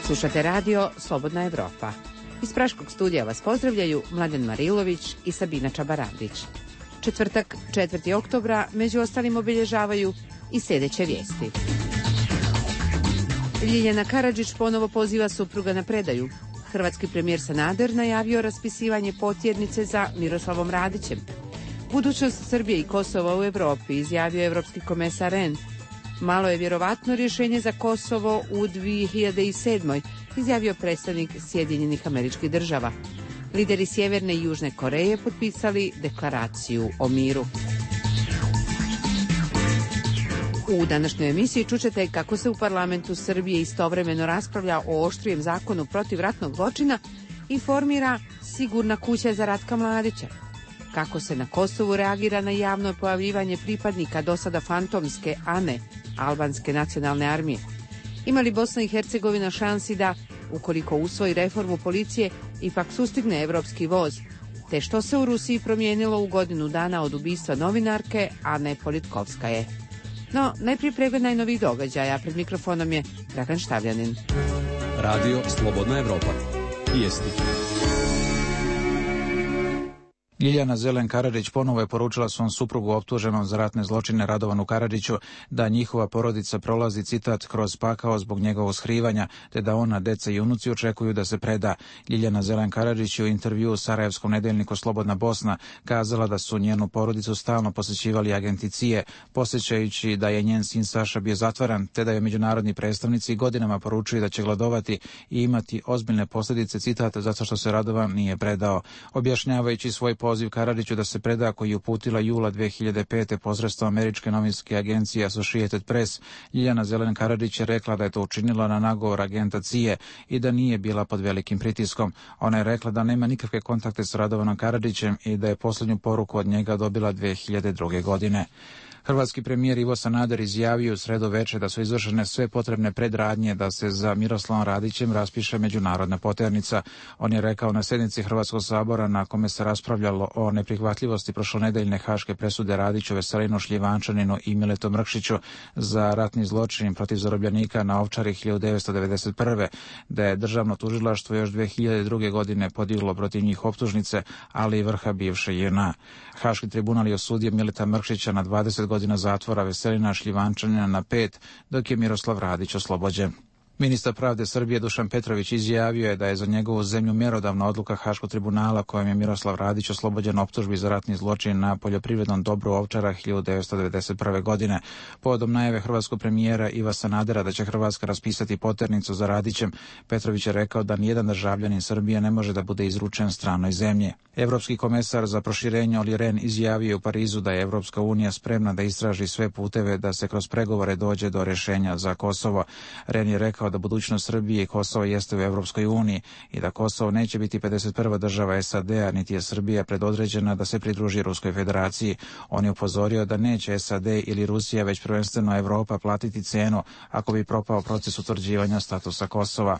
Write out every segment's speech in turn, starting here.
Slušate radio Slobodna Evropa. Iz Praškog studija vas pozdravljaju Mladen Marilović i Sabina Čabaradić. Četvrtak, 4. oktobra, među ostalim obilježavaju i sljedeće vijesti. Ljiljana Karadžić ponovo poziva supruga na predaju. Hrvatski premijer Sanader najavio raspisivanje potjednice za Miroslavom Radićem. Budućnost Srbije i Kosova u Evropi, izjavio evropski komesar Rehn. Malo je vjerovatno rješenje za Kosovo u 2007. izjavio predstavnik Sjedinjenih Američkih Država. Lideri Sjeverne i Južne Koreje potpisali deklaraciju o miru. U današnjoj emisiji čućete kako se u parlamentu Srbije istovremeno raspravlja o oštrijem zakonu protiv ratnog zločina i formira sigurna kuća za Ratka Mladića. Kako se na Kosovu reagira na javno pojavljivanje pripadnika do sada fantomske ANE, albanske nacionalne armije. Ima li Bosna i Hercegovina šansi da, ukoliko usvoji reformu policije, ipak sustigne evropski voz? Te što se u Rusiji promijenilo u godinu dana od ubistva novinarke Ane Politkovskaje? No, najprije pregled najnovih događaja. Pred mikrofonom je Dragan Štavljanin. Radio Slobodna Evropa. Vijesti. Ljiljana Zelen Karadžić ponovo je poručila svom suprugu optuženom za ratne zločine Radovanu Karadžiću da njihova porodica prolazi, citat, kroz pakao zbog njegovog skrivanja, te da ona, deca i unuci očekuju da se preda. Ljiljana Zelen Karadžić je u intervjuu u sarajevskom nedeljniku Slobodna Bosna kazala da su njenu porodicu stalno posjećivali agenti CIA, posjećajući da je njen sin Saša bio zatvaran, te da je međunarodni predstavnici godinama poručuju da će gladovati i imati ozbiljne posljedice, citat, zato što se Radovan nije predao. Objašnjavajući svoj poziv Karadžiću da se preda, koji je uputila jula 2005. posredstvom američke novinske agencije Associated Press, Ljiljana Zelen Karadžić je rekla da je to učinila na nagovor agenta CIA i da nije bila pod velikim pritiskom. Ona je rekla da nema nikakve kontakte s Radovanom Karadžićem i da je posljednju poruku od njega dobila 2002. godine. Hrvatski premijer Ivo Sanader izjavio u sredu večer da su izvršene sve potrebne predradnje da se za Miroslavom Radićem raspiše međunarodna potjernica. On je rekao na sjednici Hrvatskog sabora na kome se raspravljalo o neprihvatljivosti prošlonedeljne haške presude Radiću, Veselinu Šljivančaninu i Miletu Mrkšiću za ratni zločin protiv zarobljenika na Ovčari 1991. da je državno tužilaštvo još 2002. godine podiglo protiv njih optužnice, ali i vrha bivše JNA. Haški tribunal je osudio Mileta Mrkšića na 20 godina zatvora, Veselina Šljivančanina na 5, dok je Miroslav Radić oslobođen. Ministar pravde Srbije Dušan Petrović izjavio je da je za njegovu zemlju mjerodavna odluka Haškog tribunala kojom je Miroslav Radić oslobođen optužbi za ratni zločin na poljoprivrednom dobru Ovčara 1991. godine. Povodom najave hrvatskog premijera Iva Sanadera da će Hrvatska raspisati potjernicu za Radićem, Petrović je rekao da nijedan državljanin Srbije ne može da bude izručen stranoj zemlji. Evropski komesar za proširenje Olli Rehn izjavio je u Parizu da je Evropska unija spremna da istraži sve puteve da se kroz pregovore dođe do rješenja za Kosovo. Rehn je rekao da budućnost Srbije i Kosova jeste u Evropskoj uniji i da Kosovo neće biti 51. država SAD-a, niti je Srbija predodređena da se pridruži Ruskoj federaciji. On je upozorio da neće SAD ili Rusija, već prvenstveno Evropa platiti cenu ako bi propao proces utvrđivanja statusa Kosova.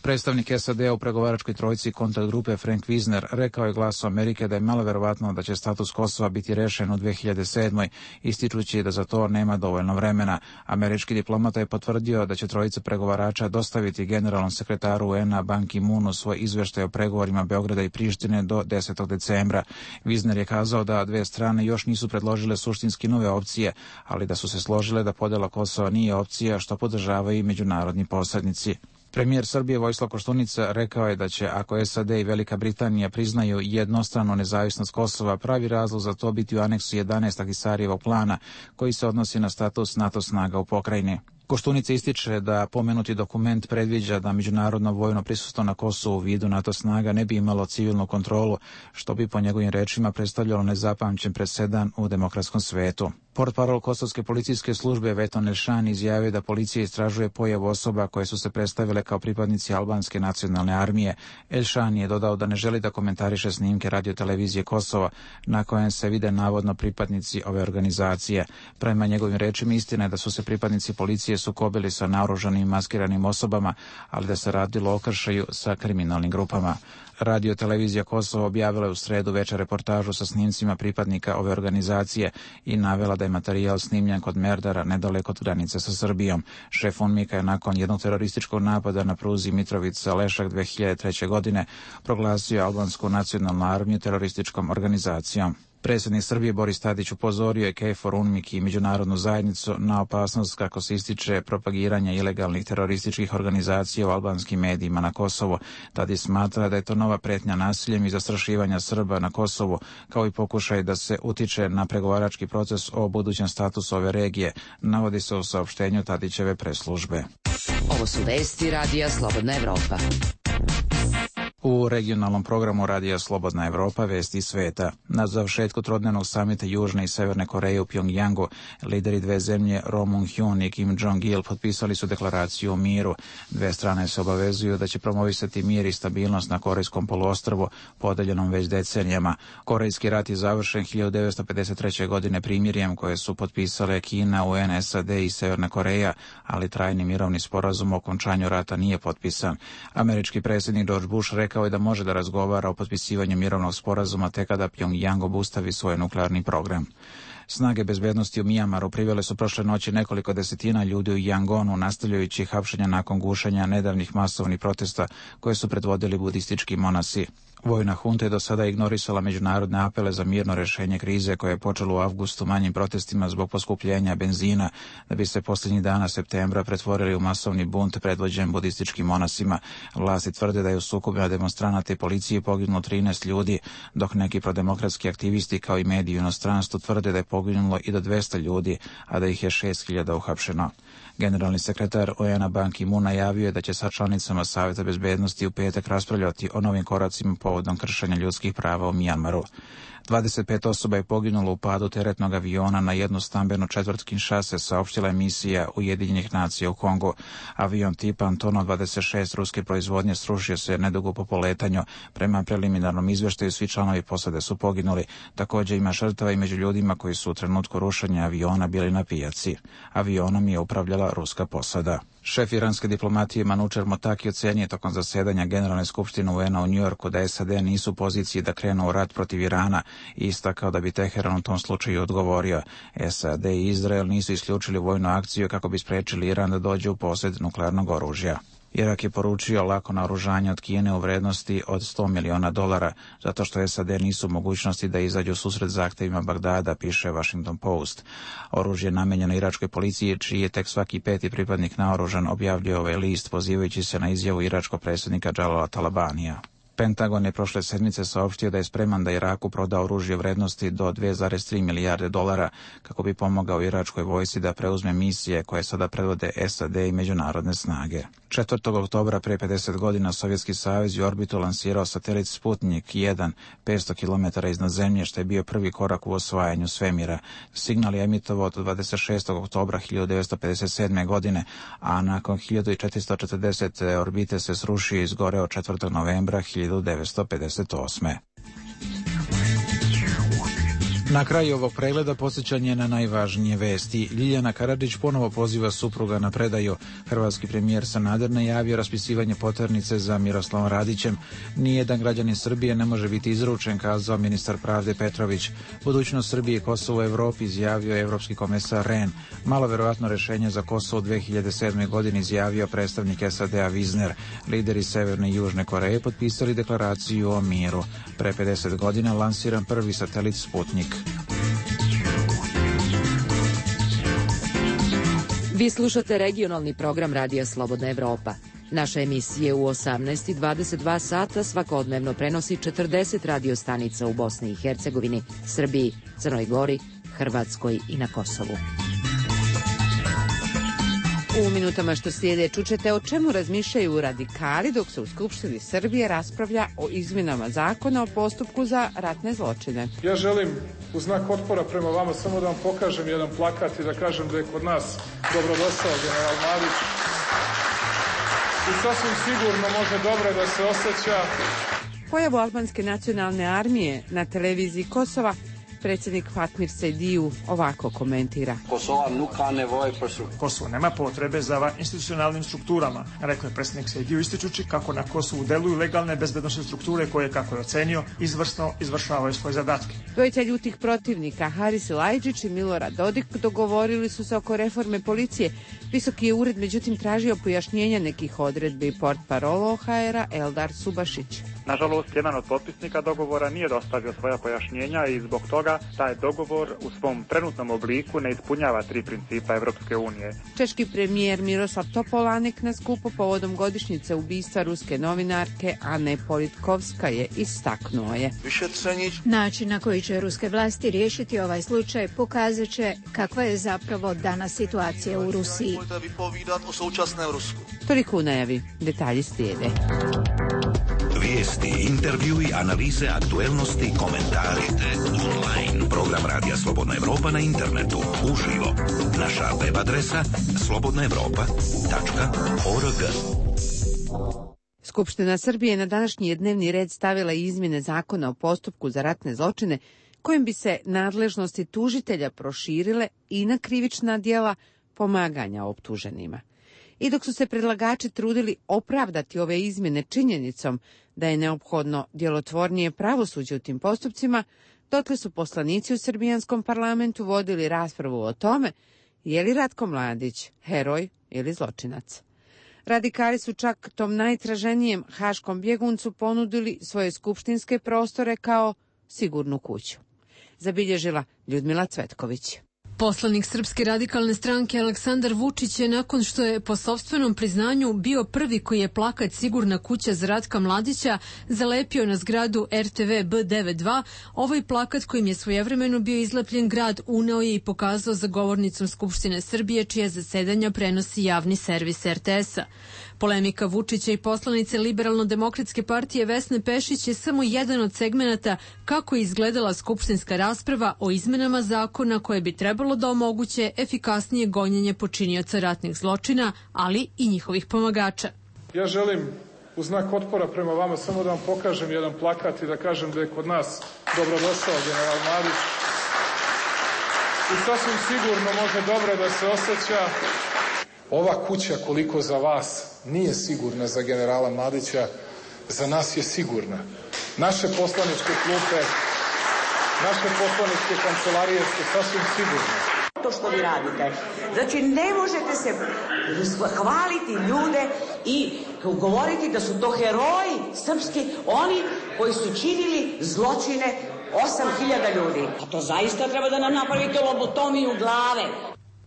Predstavnik SAD-a u pregovaračkoj trojci kontakt grupe Frank Wisner rekao je Glasu Amerike da je malo verovatno da će status Kosova biti rešen u 2007. ističući da za to nema dovoljno vremena. Američki diplomata je potvrdio da će trojica pregovarača dostaviti generalnom sekretaru UN-a Ban Ki-moonu svoj izveštaj o pregovorima Beograda i Prištine do 10. decembra. Wisner je kazao da dve strane još nisu predložile suštinski nove opcije, ali da su se složile da podela Kosova nije opcija, što podržavaju i međunarodni posrednici. Premijer Srbije Vojislav Koštunica rekao je da će, ako SAD i Velika Britanija priznaju jednostranu nezavisnost Kosova, pravi razlog za to biti u aneksu 11 Ahtisarijevog plana, koji se odnosi na status NATO snaga u pokrajini. Koštunica ističe da pomenuti dokument predviđa da međunarodno vojno prisustvo na Kosovu u vidu NATO snaga ne bi imalo civilnu kontrolu, što bi po njegovim rečima predstavljalo nezapamćen presedan u demokratskom svetu. Portparol kosovske policijske službe Veton Elšan izjavio da policija istražuje pojavu osoba koje su se predstavile kao pripadnici albanske nacionalne armije. Elšan je dodao da ne želi da komentariše snimke radiotelevizije Kosova na kojem se vide navodno pripadnici ove organizacije. Prema njegovim rečima istina je da su se pripadnici policije Srbije sukobili sa naoružanim maskiranim osobama, ali da se radilo o kršaju sa kriminalnim grupama. Radio televizija Kosovo objavila je u sredu večer reportažu sa snimcima pripadnika ove organizacije i navela da je materijal snimljen kod Merdara nedaleko od granice sa Srbijom. Šef UNMIK-a je nakon jednog terorističkog napada na pruzi Mitrovica-Lešak 2003. godine proglasio albansku nacionalnu armiju terorističkom organizacijom. Predsjednik Srbije Boris Tadić upozorio je KFOR, UNMIK i međunarodnu zajednicu na opasnost kako se ističe propagiranja ilegalnih terorističkih organizacija u albanskim medijima na Kosovu. Tadić smatra da je to nova pretnja nasiljem i zastrašivanja Srba na Kosovu, kao i pokušaj da se utiče na pregovarački proces o budućem statusu ove regije, navodi se u saopštenju Tadićeve preslužbe. Ovo su vesti Radija Slobodna Evropa. U regionalnom programu Radija Slobodna Evropa vesti sveta. Na završetku trodnevnog samita Južne i Severne Koreje u Pjongjangu, lideri dve zemlje Roh Moo-hyun i Kim Jong-il potpisali su deklaraciju o miru. Dve strane se obavezuju da će promovisati mir i stabilnost na Korejskom poluostrvu, podeljenom već decenijama. Korejski rat je završen 1953. godine primirjem koje su potpisale Kina, UN, SAD i Severna Koreja, ali trajni mirovni sporazum o okončanju rata nije potpisan. Američki predsjednik George Bush rekao je da može da razgovara o potpisivanju mirovnog sporazuma tek kada Pjongjang obustavi svoj nuklearni program. Snage bezbednosti u Mijamaru privele su prošle noći nekoliko desetina ljudi u Yangonu, nastavljajući hapšenja nakon gušenja nedavnih masovnih protesta koje su predvodili budistički monasi. Vojna hunta je do sada ignorisala međunarodne apele za mirno rješenje krize koje je počelo u avgustu manjim protestima zbog poskupljenja benzina, da bi se posljednjih dana septembra pretvorili u masovni bunt predvođen budističkim monasima. Vlasti tvrde da je u sukobima demonstranata i policije poginulo 13 ljudi, dok neki prodemokratski aktivisti kao i mediji u inostranstvu tvrde da je poginulo i do 200 ljudi, a da ih je 6.000 uhapšeno. Generalni sekretar UN-a Ban Ki-moon najavio je da će sa članicama Savjeta bezbednosti u petak raspravljati o novim koracima povodom kršenja ljudskih prava u Mijanmaru. 25 osoba je poginulo u padu teretnog aviona na jednu stambenu četvrt Kinshase, saopštila je misija Ujedinjenih nacija u Kongu. Avion tipa Antonov 26 ruske proizvodnje srušio se nedugo po poletanju. Prema preliminarnom izveštaju svi članovi posade su poginuli. Također ima žrtava i među ljudima koji su u trenutku rušenja aviona bili na pijaci. Avionom je upravljala ruska posada. Šef iranske diplomatije Manučer Motaki ocenio tokom zasedanja Generalne skupštine UN-a u Njujorku da SAD nisu u poziciji da krenu u rat protiv Irana i istakao da bi Teheran u tom slučaju odgovorio. SAD i Izrael nisu isključili vojnu akciju kako bi spriječili Iran da dođe u posjed nuklearnog oružja. Irak je poručio lako naoružanje od Kine u vrednosti od $100 miliona, zato što SAD nisu u mogućnosti da izađu susret zahtjevima Bagdada, piše Washington Post. Oružje namijenjeno iračkoj policiji, čiji je tek svaki peti pripadnik naoružan, objavljuje ovaj list, pozivajući se na izjavu iračkog predsjednika Jalala Talabanija. Pentagon je prošle sedmice saopštio da je spreman da Iraku proda oružje vrednosti do $2,3 milijarde kako bi pomogao iračkoj vojsci da preuzme misije koje sada predvode SAD i međunarodne snage. 4. oktobra prije 50 godina Sovjetski savez je u orbitu lansirao satelit Sputnik 1 500 km iznad zemlje, što je bio prvi korak u osvajanju svemira. Signal je emitovao od 26. oktobra 1957. godine, a nakon 1440 orbite se srušio i izgoreo 4. novembra 1958. Na kraju ovog pregleda podsjećanje na najvažnije vesti. Ljiljana Karadžić ponovo poziva supruga na predaju. Hrvatski premijer Sanader najavio raspisivanje poternice za Miroslavom Radićem. Nijedan građanin Srbije ne može biti izručen, kazao ministar pravde Petrović. Budućnost Srbije i Kosovo u Evropi, izjavio je evropski komesar Rehn. Malo verovatno rješenje za Kosovo u 2007. godini, izjavio predstavnik SAD-a Wiesner. Lideri Severne i Južne Koreje potpisali deklaraciju o miru. Pre 50 godina lansiran prvi satelit Sputnik. Vi slušate regionalni program Radija Slobodna Evropa. Naše emisije u 18 i 22 sata svakodnevno prenosi 40 radio stanica u Bosni i Hercegovini, Srbiji, Crnoj Gori, Hrvatskoj i na Kosovu. U minutama što slijede čućete o čemu razmišljaju radikali dok se u Skupštini Srbije raspravlja o izmjenama zakona o postupku za ratne zločine. Ja želim u znak otpora prema vama samo da vam pokažem jedan plakat i da kažem da je kod nas dobrodošao general Mladić. I sasvim sigurno može dobro da se osjeća. Pojavu albanske nacionalne armije na televiziji Kosova predsjednik Fatmir Sejdiju ovako komentira. Kosovo nema potrebe za institucionalnim strukturama, rekao je predsjednik Sejdiju, ističući kako na Kosovu deluju legalne bezbednosne strukture koje, kako je ocenio, izvrsno izvršavaju svoje zadatke. Dvojica ljutih protivnika, Haris Lajdžić i Milorad Dodik, dogovorili su se oko reforme policije. Visoki je ured međutim tražio pojašnjenja nekih odredbi. Portparolo HR-a Eldar Subašić. Nažalost, jedan od potpisnika dogovora nije dostavio svoja pojašnjenja i zbog toga taj dogovor u svom trenutnom obliku ne ispunjava 3 principa Evropske unije. Češki premijer Miroslav Topolanek na skupu povodom godišnjice ubistva ruske novinarke Ane Politkovskaje istaknuo je. Način na koji će ruske vlasti riješiti ovaj slučaj pokazat će kakva je zapravo danas situacija u Rusiji. Toliko u najavi, detalji slijede. Vijesti, intervjui, analize, aktuelnosti, komentari, online. Program Radija Slobodna Evropa na internetu, uživo. Naša web adresa slobodnaevropa.org. Skupština Srbije na današnji dnevni red stavila izmjene zakona o postupku za ratne zločine, kojim bi se nadležnosti tužitelja proširile i na krivična djela pomaganja optuženima. I dok su se predlagači trudili opravdati ove izmjene činjenicom da je neophodno djelotvornije pravosuđe u tim postupcima, dotle su poslanici u srbijanskom parlamentu vodili raspravu o tome je li Ratko Mladić heroj ili zločinac. Radikali su čak tom najtraženijem haškom bjeguncu ponudili svoje skupštinske prostore kao sigurnu kuću. Zabilježila Ljudmila Cvetković. Poslanik Srpske radikalne stranke Aleksandar Vučić je, nakon što je po sopstvenom priznanju bio prvi koji je plakat Sigurna kuća za Ratka Mladića zalepio na zgradu RTV B92, ovaj plakat kojim je svojevremeno bio izlepljen grad uneo je i pokazao za govornicom Skupštine Srbije, čija zasedanja prenosi javni servis RTS-a. Polemika Vučića i poslanice Liberalno-demokratske partije Vesne Pešić je samo jedan od segmenata kako je izgledala skupštinska rasprava o izmenama zakona koje bi trebalo da omoguće efikasnije gonjenje počinioca ratnih zločina, ali i njihovih pomagača. Ja želim u znak otpora prema vama samo da vam pokažem jedan plakat i da kažem da je kod nas dobrodošao general Mladić. I sasvim sigurno može dobro da se osjeća. Ova kuća, koliko za vas nije sigurna za generala Mladića, za nas je sigurna. Naše poslaničke klupe, naše poslaničke kancelarije su sasvim sigurne. To što vi radite. Znači, ne možete se hvaliti ljude i govoriti da su to heroji srpski, oni koji su činili zločine 8.000 ljudi. A to zaista treba da nam napravite lobotomiju glave.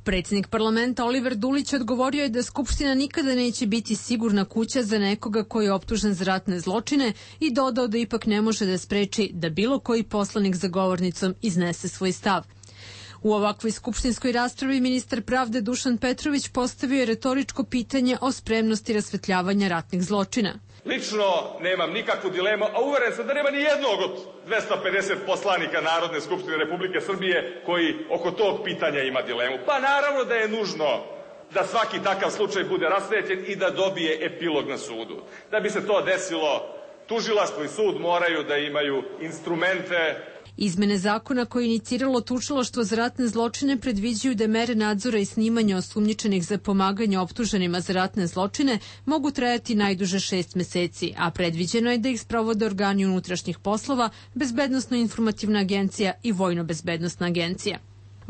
Predsjednik parlamenta Oliver Dulić odgovorio je da Skupština nikada neće biti sigurna kuća za nekoga koji je optužen za ratne zločine i dodao da ipak ne može da spreči da bilo koji poslanik za govornicom iznese svoj stav. U ovakvoj skupštinskoj raspravi ministar pravde Dušan Petrović postavio je retoričko pitanje o spremnosti rasvetljavanja ratnih zločina. Lično nemam nikakvu dilemu, a uveren sam da nema ni jednog od 250 poslanika Narodne skupštine Republike Srbije koji oko tog pitanja ima dilemu. Pa naravno da je nužno da svaki takav slučaj bude rasvetljen i da dobije epilog na sudu. Da bi se to desilo, tužilaštvo i sud moraju da imaju instrumente. Izmene zakona koje je iniciralo tužilaštvo za ratne zločine predviđaju da mere nadzora i snimanja osumnjičenih za pomaganje optuženima za ratne zločine mogu trajati najduže 6 meseci, a predviđeno je da ih sprovode organi unutrašnjih poslova, Bezbednosno-informativna agencija i Vojno-bezbednosna agencija.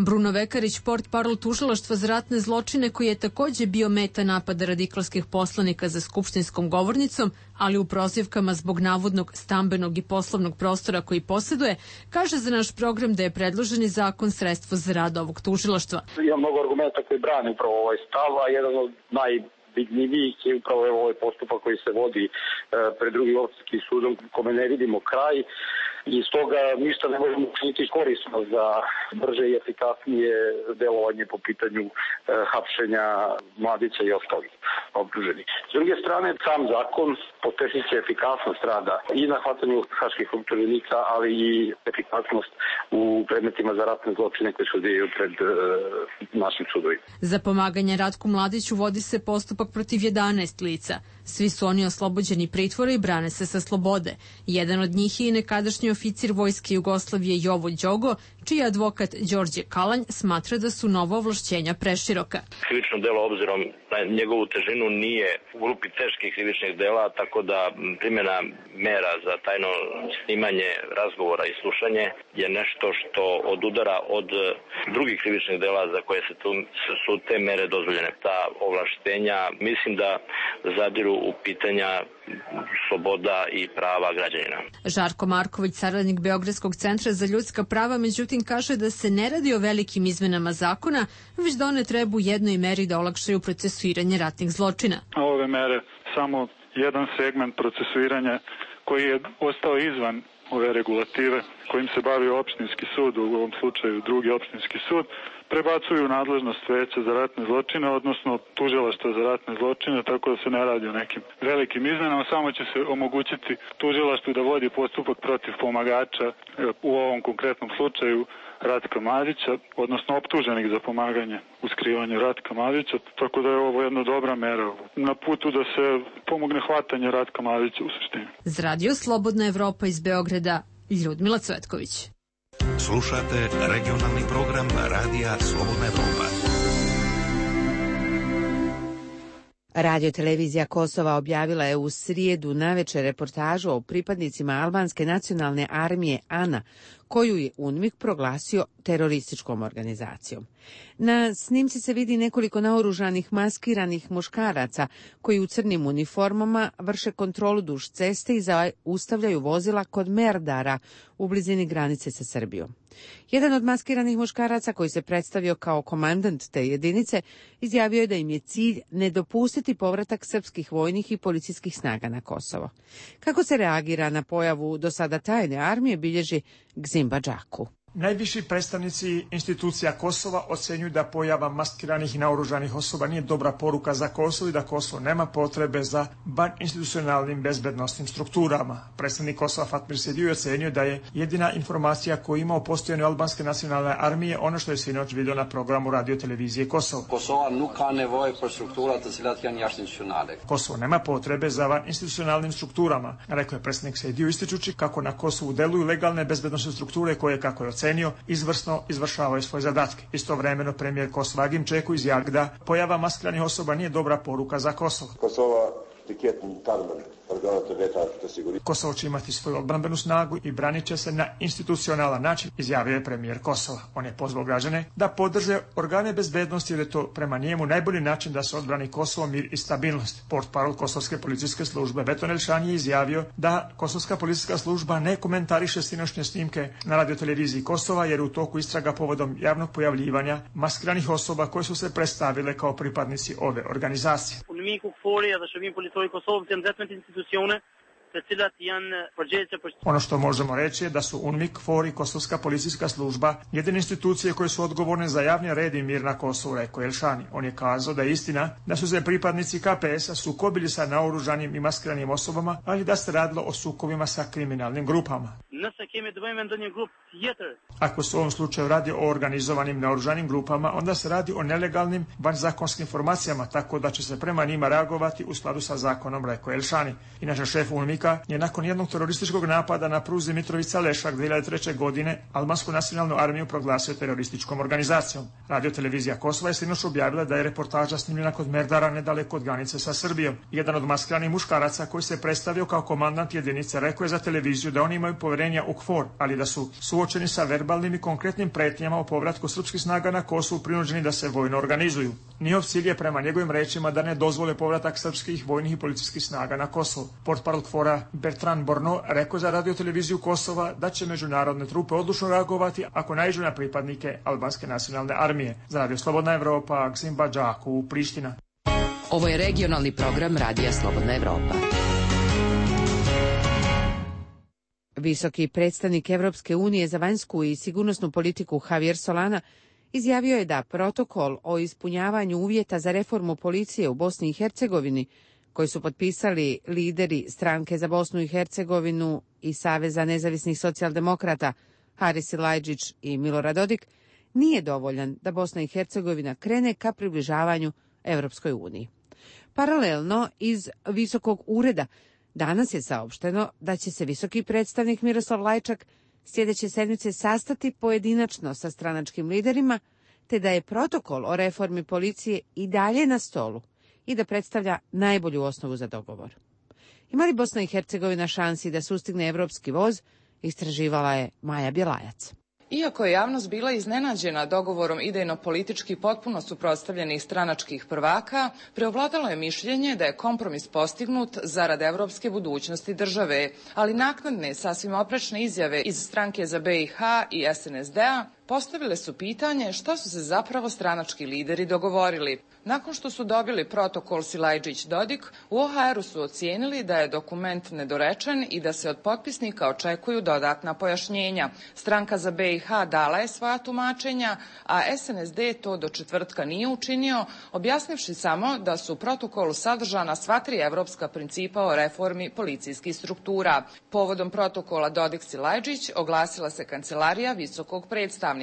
Bruno Vekarić, portparol tužilaštva za ratne zločine, koji je takođe bio meta napada radikalskih poslanika za skupštinskom govornicom, ali u prozivkama zbog navodnog stambenog i poslovnog prostora koji posjeduje, kaže za naš program da je predloženi zakon sredstvo za rad ovog tužilaštva. Ima mnogo argumenta koji brani upravo ovaj stav, a jedan od najvidljivijih je upravo ovaj postupak koji se vodi pred drugim opštinskim sudom, kome ne vidimo kraj. I stoga ništa ne možemo učiniti korisno za brže i efikasnije delovanje po pitanju hapšenja Mladića i ostalih optuženih. S druge strane, sam zakon pospešit će efikasnost rada i na hvatanju haških optuženika, ali i efikasnost u predmetima za ratne zločine koje se odvijaju pred našim sudovima. Za pomaganje Ratku Mladiću vodi se postupak protiv 11 lica. Svi su oni oslobođeni pritvora i brane se sa slobode. Jedan od njih je i nekadašnji oficir Vojske Jugoslavije Jovo Đogo, čiji advokat Đorđe Kalanj smatra da su nova ovlašćenja preširoka. Krivično delo obzirom na njegovu težinu nije u grupi teških krivičnih dela, tako da primjena mera za tajno snimanje razgovora i slušanje je nešto što odudara od drugih krivičnih dela za koje su te mere dozvoljene. Ta ovlaštenja mislim da zadiru u pitanja sloboda i prava građanina. Žarko Marković, saradnik Beogradskog centra za ljudska prava, međutim kaže da se ne radi o velikim izmenama zakona, već da one treba u jednoj meri da olakšaju procesuiranje ratnih zločina. Ove mere samo jedan segment procesuiranja koji je ostao izvan ove regulative kojim se bavi opštinski sud, u ovom slučaju drugi opštinski sud, prebacuju nadležnost veća za ratne zločine, odnosno tužilaštva za ratne zločine, tako da se ne radi o nekim velikim izmenama, samo će se omogućiti tužilaštvu da vodi postupak protiv pomagača, u ovom konkretnom slučaju Ratka Mladića, odnosno optuženih za pomaganje u skrivanju Ratka Mladića, tako da je ovo jedna dobra mera na putu da se pomogne hvatanje Ratka Mladića u suštini. Za Radio Slobodna Evropa iz Beograda, Ljudmila Cvetković. Slušate regionalni program Radija Slobodna Evropa. Radio-televizija Kosova objavila je u srijedu navečer reportažu o pripadnicima albanske nacionalne armije ANA, koju je UNMIK proglasio terorističkom organizacijom. Na snimci se vidi nekoliko naoružanih maskiranih muškaraca koji u crnim uniformama vrše kontrolu duž ceste i zaustavljaju vozila kod Merdara u blizini granice sa Srbijom. Jedan od maskiranih muškaraca koji se predstavio kao komandant te jedinice izjavio je da im je cilj ne dopustiti povratak srpskih vojnih i policijskih snaga na Kosovo. Kako se reagira na pojavu do sada tajne armije bilježi Gzimba Džaku. Najviši predstavnici institucija Kosova ocenjuju da pojava maskiranih i naoružanih osoba nije dobra poruka za Kosovo i da Kosovo nema potrebe za institucionalnim bezbednostnim strukturama. Predstavnik Kosova Fatmir Sediu ocenjuje da je jedina informacija koju ima o postojanju albanske nacionalne armije ono što je sinoć vidio na programu radio-televizije Kosova. Kosovo nema potrebe za institucionalnim strukturama, rekao je predstavnik Sediu, ističući kako na Kosovu deluju legalne bezbednosne strukture koje, kako je ocenio, izvrsno izvršavaju svoje zadatke. Istovremeno premijer Kosova Agim Čeku izjavio da pojava maskiranih osoba nije dobra poruka za Kosovo. Kosovo će imati svoju odbrambenu snagu i branit će se na institucionalan način, izjavio je premijer Kosova. On je pozvao građane da podrže organe bezbednosti jer je to prema njemu najbolji način da se odbrani Kosovo, mir i stabilnost. Portparol Kosovske policijske službe Beton Elšan je izjavio da Kosovska policijska služba ne komentariše sinoćnje snimke na radioteleviziji Kosova jer je u toku istraga povodom javnog pojavljivanja maskiranih osoba koje su se predstavile kao pripadnici ove organizacije. Ono što možemo reći je da su UNMIK, KFOR i Kosovska policijska služba jedine institucije koje su odgovorne za javni red i mir na Kosovu, rekao Elšani. On je kazao da je istina da su se pripadnici KPS-a sukobili sa naoružanim i maskiranim osobama, ali da se radilo o sukobima sa kriminalnim grupama. Ako se u ovom slučaju radi o organizovanim naoružanim grupama, onda se radi o nelegalnim vanzakonskim formacijama, tako da će se prema njima reagovati u skladu sa zakonom, rekao Elšani. Inače, šef UNMIK-a je nakon jednog terorističkog napada na pruzi Mitrovica-Lešak 2003. godine albansku nacionalnu armiju proglasio terorističkom organizacijom. Radio-televizija Kosova je sinoć objavila da je reportaža snimljena kod Merdara nedaleko od granice sa Srbijom. Jedan od maskiranih muškaraca koji se predstavio kao komandant jedinice rekao je za televiziju da oni imaju poverenja u KFOR, ali da su suočeni sa verbalnim i konkretnim pretnjama o povratku srpskih snaga na Kosovu prinuđeni da se vojno organizuju. Njihov cilj je prema njegovim rečima da ne dozvole povratak srpskih vojnih i policijskih snaga na Kosovo. Portparol KFOR-a Bertrand Borno rekao za radioteleviziju Kosova da će međunarodne trupe odlučno reagovati ako naiđu na pripadnike albanske nacionalne armije. Za Radio Slobodna Evropa, Gzimba Džaku, Priština. Ovo je regionalni program Radija Slobodna Evropa. Visoki predstavnik Evropske unije za vanjsku i sigurnosnu politiku Javier Solana izjavio je da protokol o ispunjavanju uvjeta za reformu policije u Bosni i Hercegovini koji su potpisali lideri Stranke za Bosnu i Hercegovinu i Saveza nezavisnih socijaldemokrata Haris Silajdžić i Milorad Dodik, nije dovoljan da Bosna i Hercegovina krene ka približavanju Evropskoj uniji. Paralelno iz Visokog ureda danas je saopšteno da će se visoki predstavnik Miroslav Lajčak sljedeće sedmice sastati pojedinačno sa stranačkim liderima, te da je protokol o reformi policije i dalje na stolu i da predstavlja najbolju osnovu za dogovor. Ima li Bosna i Hercegovina šansi da sustigne evropski voz, istraživala je Maja Bjelajac. Iako je javnost bila iznenađena dogovorom idejno-politički potpuno suprotstavljenih stranačkih prvaka, preovladalo je mišljenje da je kompromis postignut zarad evropske budućnosti države, ali naknadne, sasvim oprečne izjave iz Stranke za BiH i SNSD-a postavile su pitanje šta su se zapravo stranački lideri dogovorili. Nakon što su dobili protokol Silajđić-Dodik, u OHR-u su ocijenili da je dokument nedorečen i da se od potpisnika očekuju dodatna pojašnjenja. Stranka za BiH dala je svoja tumačenja, a SNSD to do četvrtka nije učinio, objasnivši samo da su u protokolu sadržana sva tri evropska principa o reformi policijskih struktura. Povodom protokola Dodik-Silajđić oglasila se Kancelarija visokog predstavnika.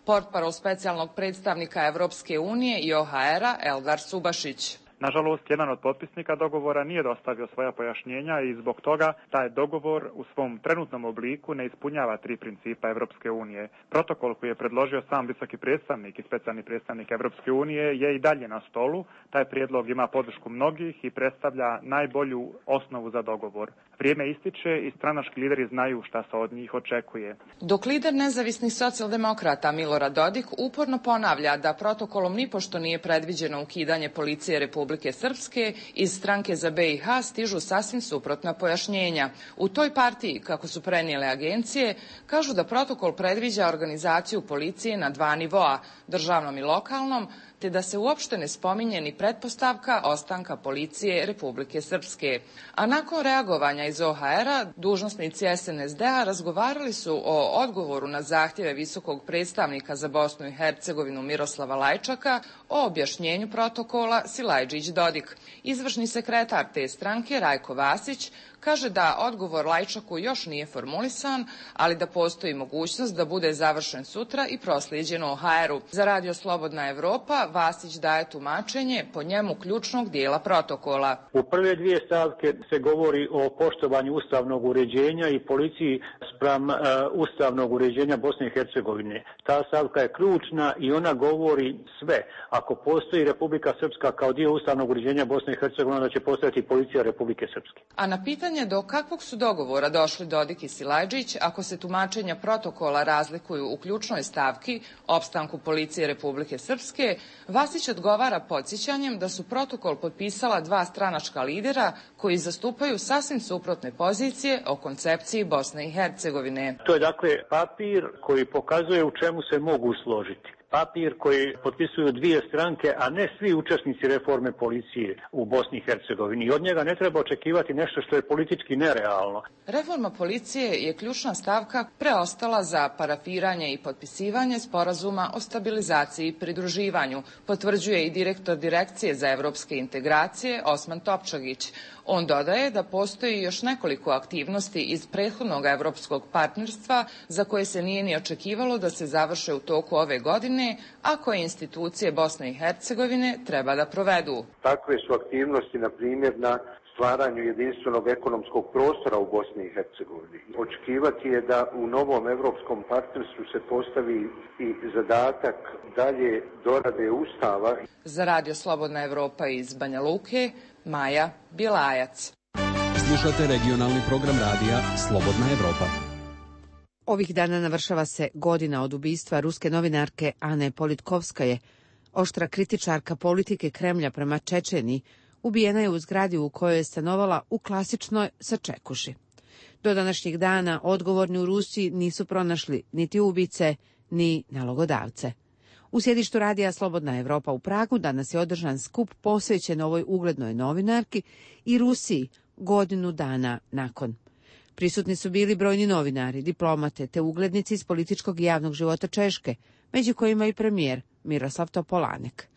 Portparol specijalnog predstavnika Evropske unije i OHR-a Eldar Subašić. Nažalost, jedan od potpisnika dogovora nije dostavio svoja pojašnjenja i zbog toga taj dogovor u svom trenutnom obliku ne ispunjava tri principa Evropske unije. Protokol koji je predložio sam visoki predstavnik i specijalni predstavnik Evropske unije je i dalje na stolu. Taj prijedlog ima podršku mnogih i predstavlja najbolju osnovu za dogovor. Vrijeme ističe i stranački lideri znaju šta se od njih očekuje. Dok lider nezavisnih socijaldemokrata Milorad Dodik uporno ponavlja da protokolom nipošto nije predviđeno ukidanje policije Republike Srpske, iz Stranke za BiH stižu sasvim suprotna pojašnjenja. U toj partiji, kako su prenijele agencije, kažu da protokol predviđa organizaciju policije na dva nivoa, državnom i lokalnom, te da se uopšte ne spominje ni pretpostavka ostanka policije Republike Srpske. A nakon reagovanja iz OHR-a, dužnosnici SNSD-a razgovarali su o odgovoru na zahtjeve visokog predstavnika za Bosnu i Hercegovinu Miroslava Lajčaka o objašnjenju protokola Silajđić-Dodik. Izvršni sekretar te stranke Rajko Vasić kaže da odgovor Lajčaku još nije formulisan, ali da postoji mogućnost da bude završen sutra i proslijeđen OHR-u. Za Radio Slobodna Evropa Vasić daje tumačenje po njemu ključnog dijela protokola. U prve dvije stavke se govori o poštovanju ustavnog uređenja i policiji spram ustavnog uređenja Bosne i Hercegovine. Ta stavka je ključna i ona govori sve. Ako postoji Republika Srpska kao dio ustavnog uređenja Bosne i Hercegovine, onda će postojati policija Republike Srpske. A na pitanje do kakvog su dogovora došli Dodik i Silajđić ako se tumačenja protokola razlikuju u ključnoj stavki opstanku policije Republike Srpske, Vasić odgovara podsjećanjem da su protokol potpisala dva stranačka lidera koji zastupaju sasvim suprotne pozicije o koncepciji Bosne i Hercegovine. To je dakle papir koji pokazuje u čemu se mogu složiti. Papir koji potpisuju dvije stranke, a ne svi učesnici reforme policije u Bosni i Hercegovini. I od njega ne treba očekivati nešto što je politički nerealno. Reforma policije je ključna stavka preostala za parafiranje i potpisivanje sporazuma o stabilizaciji i pridruživanju, potvrđuje i direktor Direkcije za evropske integracije Osman Topčagić. On dodaje da postoji još nekoliko aktivnosti iz prethodnog evropskog partnerstva za koje se nije ni očekivalo da se završe u toku ove godine, a koje institucije Bosne i Hercegovine treba da provedu. Takve su aktivnosti, na primjer, na stvaranju jedinstvenog ekonomskog prostora u Bosni i Hercegovini. Očekivati je da u novom evropskom partnerstvu se postavi i zadatak dalje dorade Ustava. Za Radio Slobodna Evropa iz Banja Luke, Maja Bjelajac. Slušate regionalni program radija Slobodna Evropa. Ovih dana navršava se godina od ubistva ruske novinarke Ane Politkovskaje. Oštra kritičarka politike Kremlja prema Čečeniji ubijena je u zgradi u kojoj je stanovala u klasičnoj sačekuši. Do današnjeg dana odgovorni u Rusiji nisu pronašli niti ubice, ni nalogodavce. U sjedištu radija Slobodna Evropa u Pragu danas je održan skup posvećen ovoj uglednoj novinarki i Rusiji godinu dana nakon. Prisutni su bili brojni novinari, diplomate te uglednici iz političkog i javnog života Češke, među kojima i premijer Miroslav Topolanek.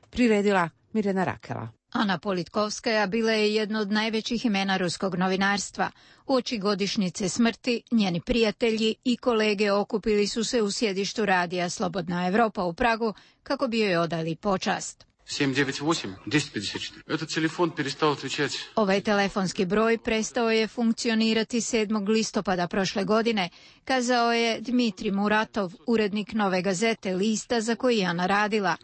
Priredila Mirjana Rakela. Ana Politkovskaja bila je jedno od najvećih imena ruskog novinarstva. Uoči godišnjice smrti, njeni prijatelji i kolege okupili su se u sjedištu radija Slobodna Evropa u Pragu kako bi joj odali počast. 798-1054. Этот телефон перестал отвечать. Ovaj telefonski broj prestao je funkcionirati 7. listopada prošle godine, kazao je Dmitri Muratov, urednik Nove gazete, lista za koji je Ana radila.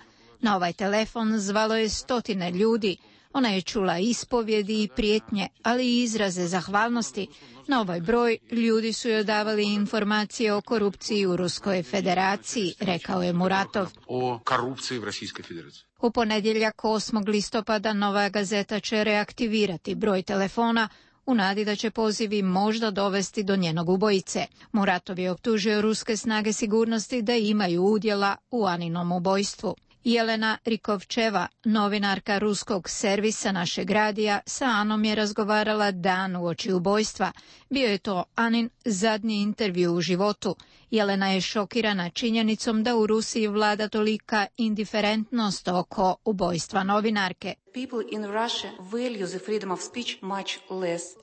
Na ovaj telefon zvalo je stotine ljudi. Ona je čula ispovjedi i prijetnje, ali i izraze zahvalnosti. Na ovaj broj ljudi su joj davali informacije o korupciji u Ruskoj federaciji, rekao je Muratov. O korupciji u Rusijskoj federaciji. U ponedjeljak 8. listopada Nova gazeta će reaktivirati broj telefona u nadi da će pozivi možda dovesti do njenog ubojice. Muratov je optužio ruske snage sigurnosti da imaju udjela u Aninom ubojstvu. Jelena Rikovčeva, novinarka ruskog servisa Našeg radija, sa Anom je razgovarala dan uoči ubojstva. Bio je to Anin zadnji intervju u životu. Jelena je šokirana činjenicom da u Rusiji vlada tolika indiferentnost oko ubojstva novinarke.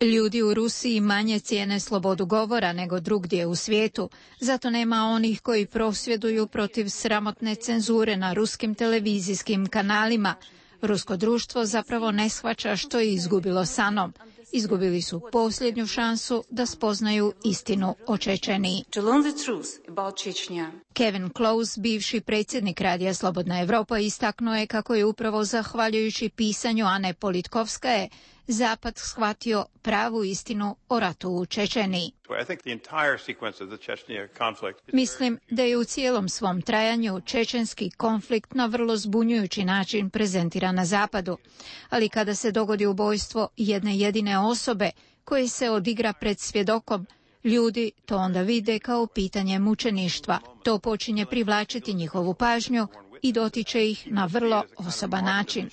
Ljudi u Rusiji manje cijene slobodu govora nego drugdje u svijetu. Zato nema onih koji prosvjeduju protiv sramotne cenzure na ruskim televizijskim kanalima. Rusko društvo zapravo ne shvaća što je izgubilo s Anom. Izgubili su posljednju šansu da spoznaju istinu o Čečeniji. Kevin Close, bivši predsjednik Radija Slobodna Evropa, istaknuo je kako je upravo zahvaljujući pisanju Ane Politkovskaje Zapad shvatio pravu istinu o ratu u Čečeniji. Mislim da je u cijelom svom trajanju čečenski konflikt na vrlo zbunjujući način prezentiran na Zapadu. Ali kada se dogodi ubojstvo jedne jedine osobe koje se odigra pred svjedokom, ljudi to onda vide kao pitanje mučeništva. To počinje privlačiti njihovu pažnju i dotiče ih na vrlo osoban način.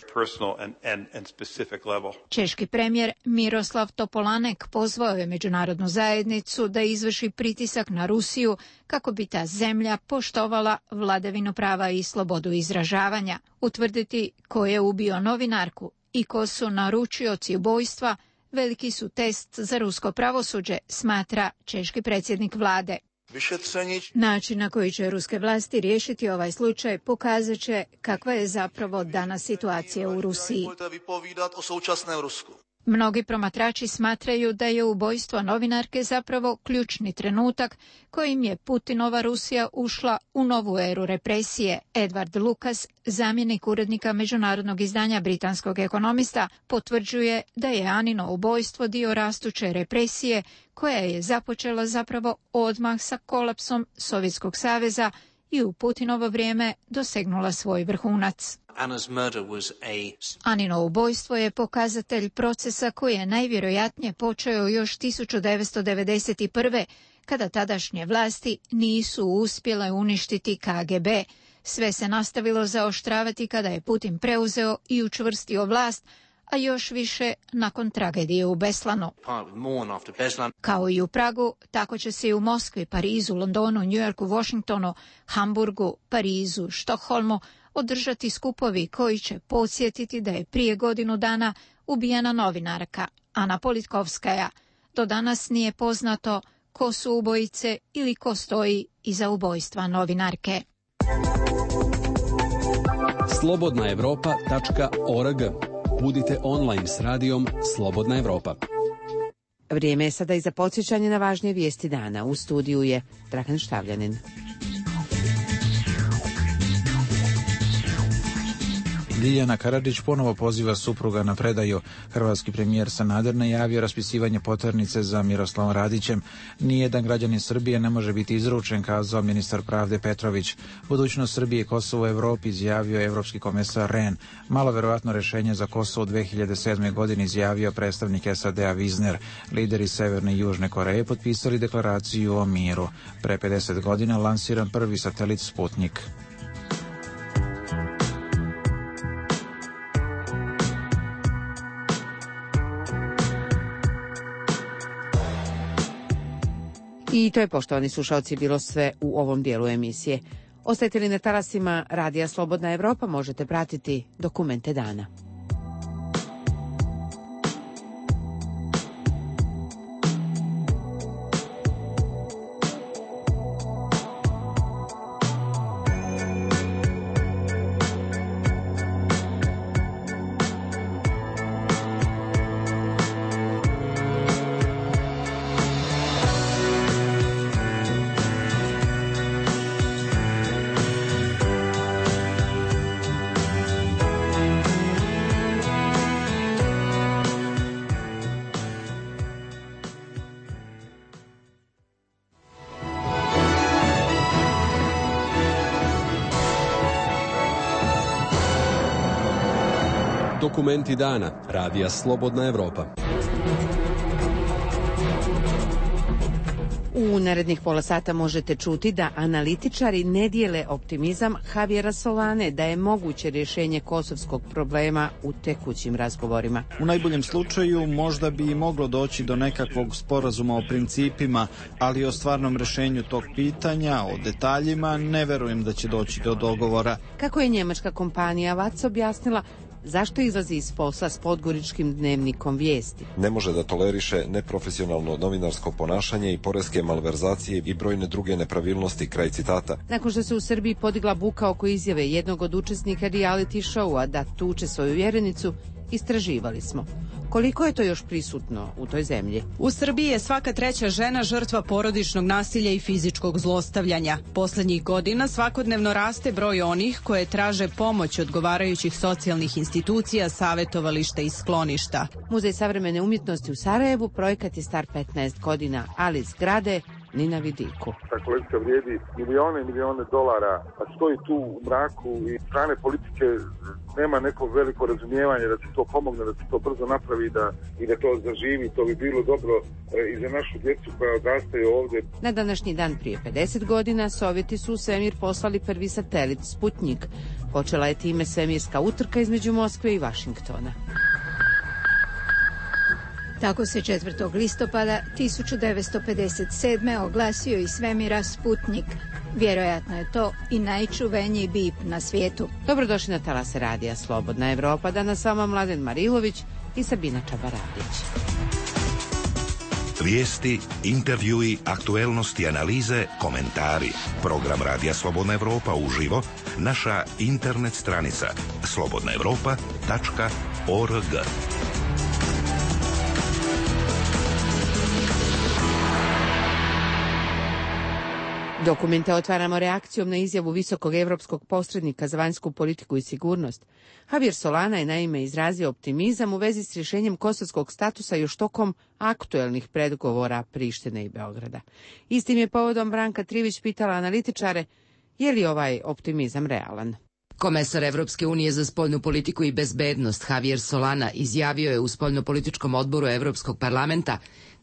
Češki premijer Miroslav Topolanek pozvao je međunarodnu zajednicu da izvrši pritisak na Rusiju kako bi ta zemlja poštovala vladavinu prava i slobodu izražavanja. Utvrditi ko je ubio novinarku i ko su naručioci ubojstva veliki su test za rusko pravosuđe, smatra češki predsjednik vlade. Način na koji će ruske vlasti riješiti ovaj slučaj pokazat će kakva je zapravo danas situacija u Rusiji. Mnogi promatrači smatraju da je ubojstvo novinarke zapravo ključni trenutak kojim je Putinova Rusija ušla u novu eru represije. Edward Lucas, zamjenik urednika međunarodnog izdanja britanskog ekonomista, potvrđuje da je Anino ubojstvo dio rastuće represije koja je započela zapravo odmah sa kolapsom Sovjetskog saveza i u Putinovo vrijeme dosegnula svoj vrhunac. Anino ubojstvo je pokazatelj procesa koji je najvjerojatnije počeo još 1991. kada tadašnje vlasti nisu uspjele uništiti KGB. Sve se nastavilo zaoštravati kada je Putin preuzeo i učvrstio vlast, a još više nakon tragedije u Beslanu. Kao i u Pragu, tako će se i u Moskvi, Parizu, Londonu, Njujorku, Washingtonu, Hamburgu, Parizu, Štokholmu održati skupovi koji će podsjetiti da je prije godinu dana ubijena novinarka Ana Politkovskaja. Do danas nije poznato ko su ubojice ili ko stoji iza ubojstva novinarke. slobodnaevropa.org. Budite online s radijom Slobodna Evropa. Vrijeme je sada i za podsjećanje na važnije vijesti dana. U studiju je Dragan Štavljanin. Ljiljana Karadžić ponovo poziva supruga na predaju. Hrvatski premijer Sanader najavio raspisivanje poternice za Miroslavom Radićem. Nijedan građanin Srbije ne može biti izručen, kazao ministar pravde Petrović. Budućnost Srbije i Kosovo u Evropi, izjavio evropski komesar Rehn. Malo verovatno rješenje za Kosovo u 2007. godini, izjavio predstavnik SAD-a Wiesner. Lideri Severne i Južne Koreje potpisali deklaraciju o miru. Pre 50 godina lansiran prvi satelit Sputnik. I to je, poštovani slušalci, bilo sve u ovom dijelu emisije. Ostajete li na talasima Radija Slobodna Evropa, možete pratiti dokumente dana. Dokumenti dana radija Slobodna Evropa. U narednih pola sata možete čuti da analitičari ne dijele optimizam Javiera Solane da je moguće rješenje kosovskog problema u tekućim razgovorima. U najboljem slučaju možda bi i moglo doći do nekakvog sporazuma o principima, ali o stvarnom rješenju tog pitanja, o detaljima, ne verujem da će doći do dogovora. Kako je njemačka kompanija VAC objasnila, zašto izlazi iz posla s podgoričkim dnevnikom Vijesti? Ne može da toleriše neprofesionalno novinarsko ponašanje i poreske malverzacije i brojne druge nepravilnosti, kraj citata. Nakon što se u Srbiji podigla buka oko izjave jednog od učesnika reality showa da tuče svoju vjerenicu, istraživali smo. Koliko je to još prisutno u toj zemlji? U Srbiji je svaka treća žena žrtva porodičnog nasilja i fizičkog zlostavljanja. Poslednjih godina svakodnevno raste broj onih koje traže pomoć odgovarajućih socijalnih institucija, savjetovališta i skloništa. Muzej savremene umjetnosti u Sarajevu projekat je star 15 godina, ali zgrade ni na vidiku. Ta kolekcija vrijedi milijone i milijone dolara, a stoji tu u mraku i strane politike nema neko veliko razumijevanje da se to pomogne, da se to brzo napravi i da to zaživi. To bi bilo dobro i za našu djecu koja odrastaju ovdje. Na današnji dan prije 50 godina Sovjeti su u svemir poslali prvi satelit Sputnjik. Počela je time svemirska utrka između Moskve i Vašingtona. Tako se 4. listopada 1957. oglasio iz svemira Sputnjik. Vjerojatno je to i najčuveniji bip na svijetu. Dobrodošli na talase radija Slobodna Evropa. Danas s vama Mladen Marilović i Sabina Čabaradić. Vijesti, intervjui, aktuelnosti, analize, komentari. Program radija Slobodna Evropa uživo, naša internet stranica slobodnaevropa.org. Dokumente otvaramo reakcijom na izjavu visokog evropskog posrednika za vanjsku politiku i sigurnost. Javier Solana je naime izrazio optimizam u vezi s rješenjem kosovskog statusa još tokom aktuelnih pregovora Prištine i Beograda. Istim je povodom Branka Trivić pitala analitičare je li ovaj optimizam realan. Komesar Evropske unije za spoljnu politiku i bezbednost Javier Solana izjavio je u spoljnopolitičkom odboru Evropskog parlamenta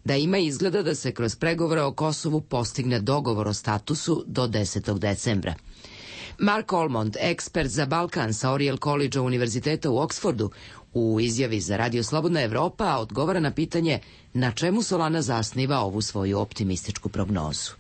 da ima izgleda da se kroz pregovore o Kosovu postigne dogovor o statusu do 10. decembra. Mark Olmond, ekspert za Balkan sa Oriel College Univerziteta u Oksfordu, u izjavi za Radio Slobodna Evropa odgovara na pitanje na čemu Solana zasniva ovu svoju optimističku prognozu.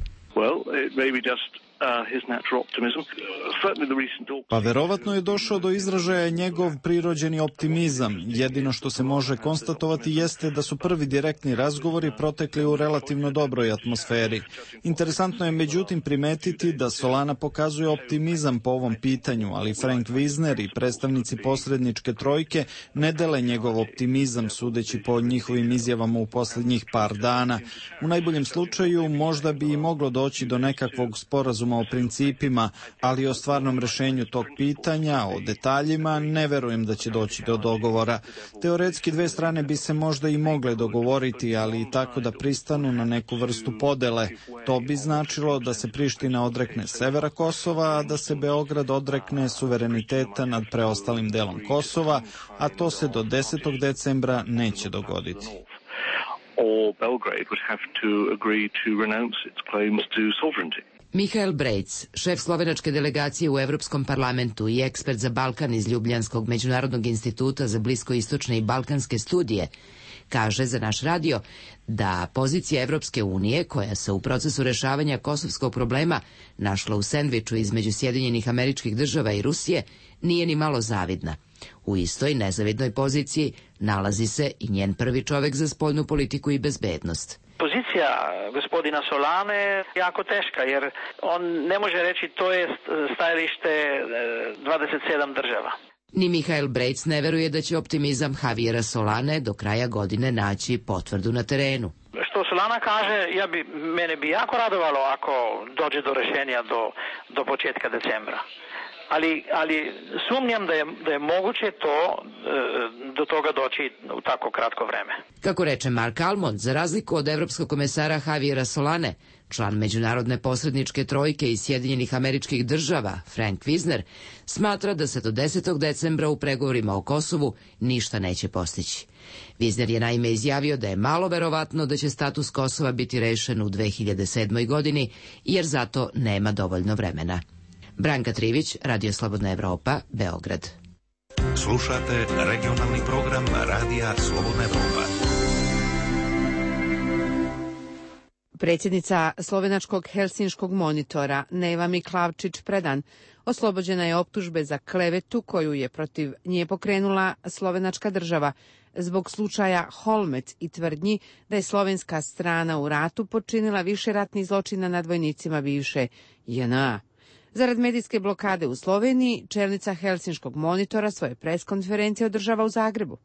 Pa verovatno je došao do izražaja njegov prirođeni optimizam. Jedino što se može konstatovati jeste da su prvi direktni razgovori protekli u relativno dobroj atmosferi. Interesantno je međutim primetiti da Solana pokazuje optimizam po ovom pitanju, ali Frank Wisner i predstavnici posredničke trojke ne dele njegov optimizam sudeći po njihovim izjavama u posljednjih par dana. U najboljem slučaju možda bi i moglo doći do nekakvog sporazuma o principima, ali o stvarnom rješenju tog pitanja, o detaljima, ne verujem da će doći do dogovora. Teoretski dve strane bi se možda i mogle dogovoriti, ali i tako da pristanu na neku vrstu podele. To bi značilo da se Priština odrekne severa Kosova, a da se Beograd odrekne suvereniteta nad preostalim delom Kosova, a to se do 10. decembra neće dogoditi. Or Belgrade would have to agree to renounce its claims to sovereignty. Mihael Brejc, šef slovenačke delegacije u Evropskom parlamentu i ekspert za Balkan iz Ljubljanskog međunarodnog instituta za bliskoistočne i balkanske studije, kaže za naš radio da pozicija Evropske unije, koja se u procesu rešavanja kosovskog problema našla u sendviču između Sjedinjenih Američkih Država i Rusije, nije ni malo zavidna. U istoj nezavidnoj poziciji nalazi se i njen prvi čovek za spoljnu politiku i bezbednost. Pozicija gospodina Solane je jako teška, jer on ne može reći to je stajalište 27 država. Ni Mihael Brejc ne veruje da će optimizam Javiera Solane do kraja godine naći potvrdu na terenu. Što Solana kaže, mene bi jako radovalo ako dođe do rešenja do početka decembra. ali sumnjam da je moguće do toga doći u tako kratko vreme. Kako reče Mark Almond, za razliku od evropskog komesara Javiera Solane, član međunarodne posredničke trojke iz Sjedinjenih Američkih Država, Frank Wisner, smatra da se do 10. decembra u pregovorima o Kosovu ništa neće postići. Wisner je naime izjavio da je malo verovatno da će status Kosova biti rešen u 2007. godini, jer zato nema dovoljno vremena. Branka Trivić, Radio Slobodna Evropa, Beograd. Slušate regionalni program Radija Slobodna Evropa. Predsjednica slovenačkog Helsinškog monitora Neva Miklavčić-Predan oslobođena je optužbe za klevetu koju je protiv nje pokrenula slovenačka država zbog slučaja Holmec i tvrdnji da je slovenska strana u ratu počinila više ratnih zločina nad vojnicima bivše JNA. Zarad medijske blokade u Sloveniji, čelnica Helsinškog monitora svoje preskonferencije održava u Zagrebu.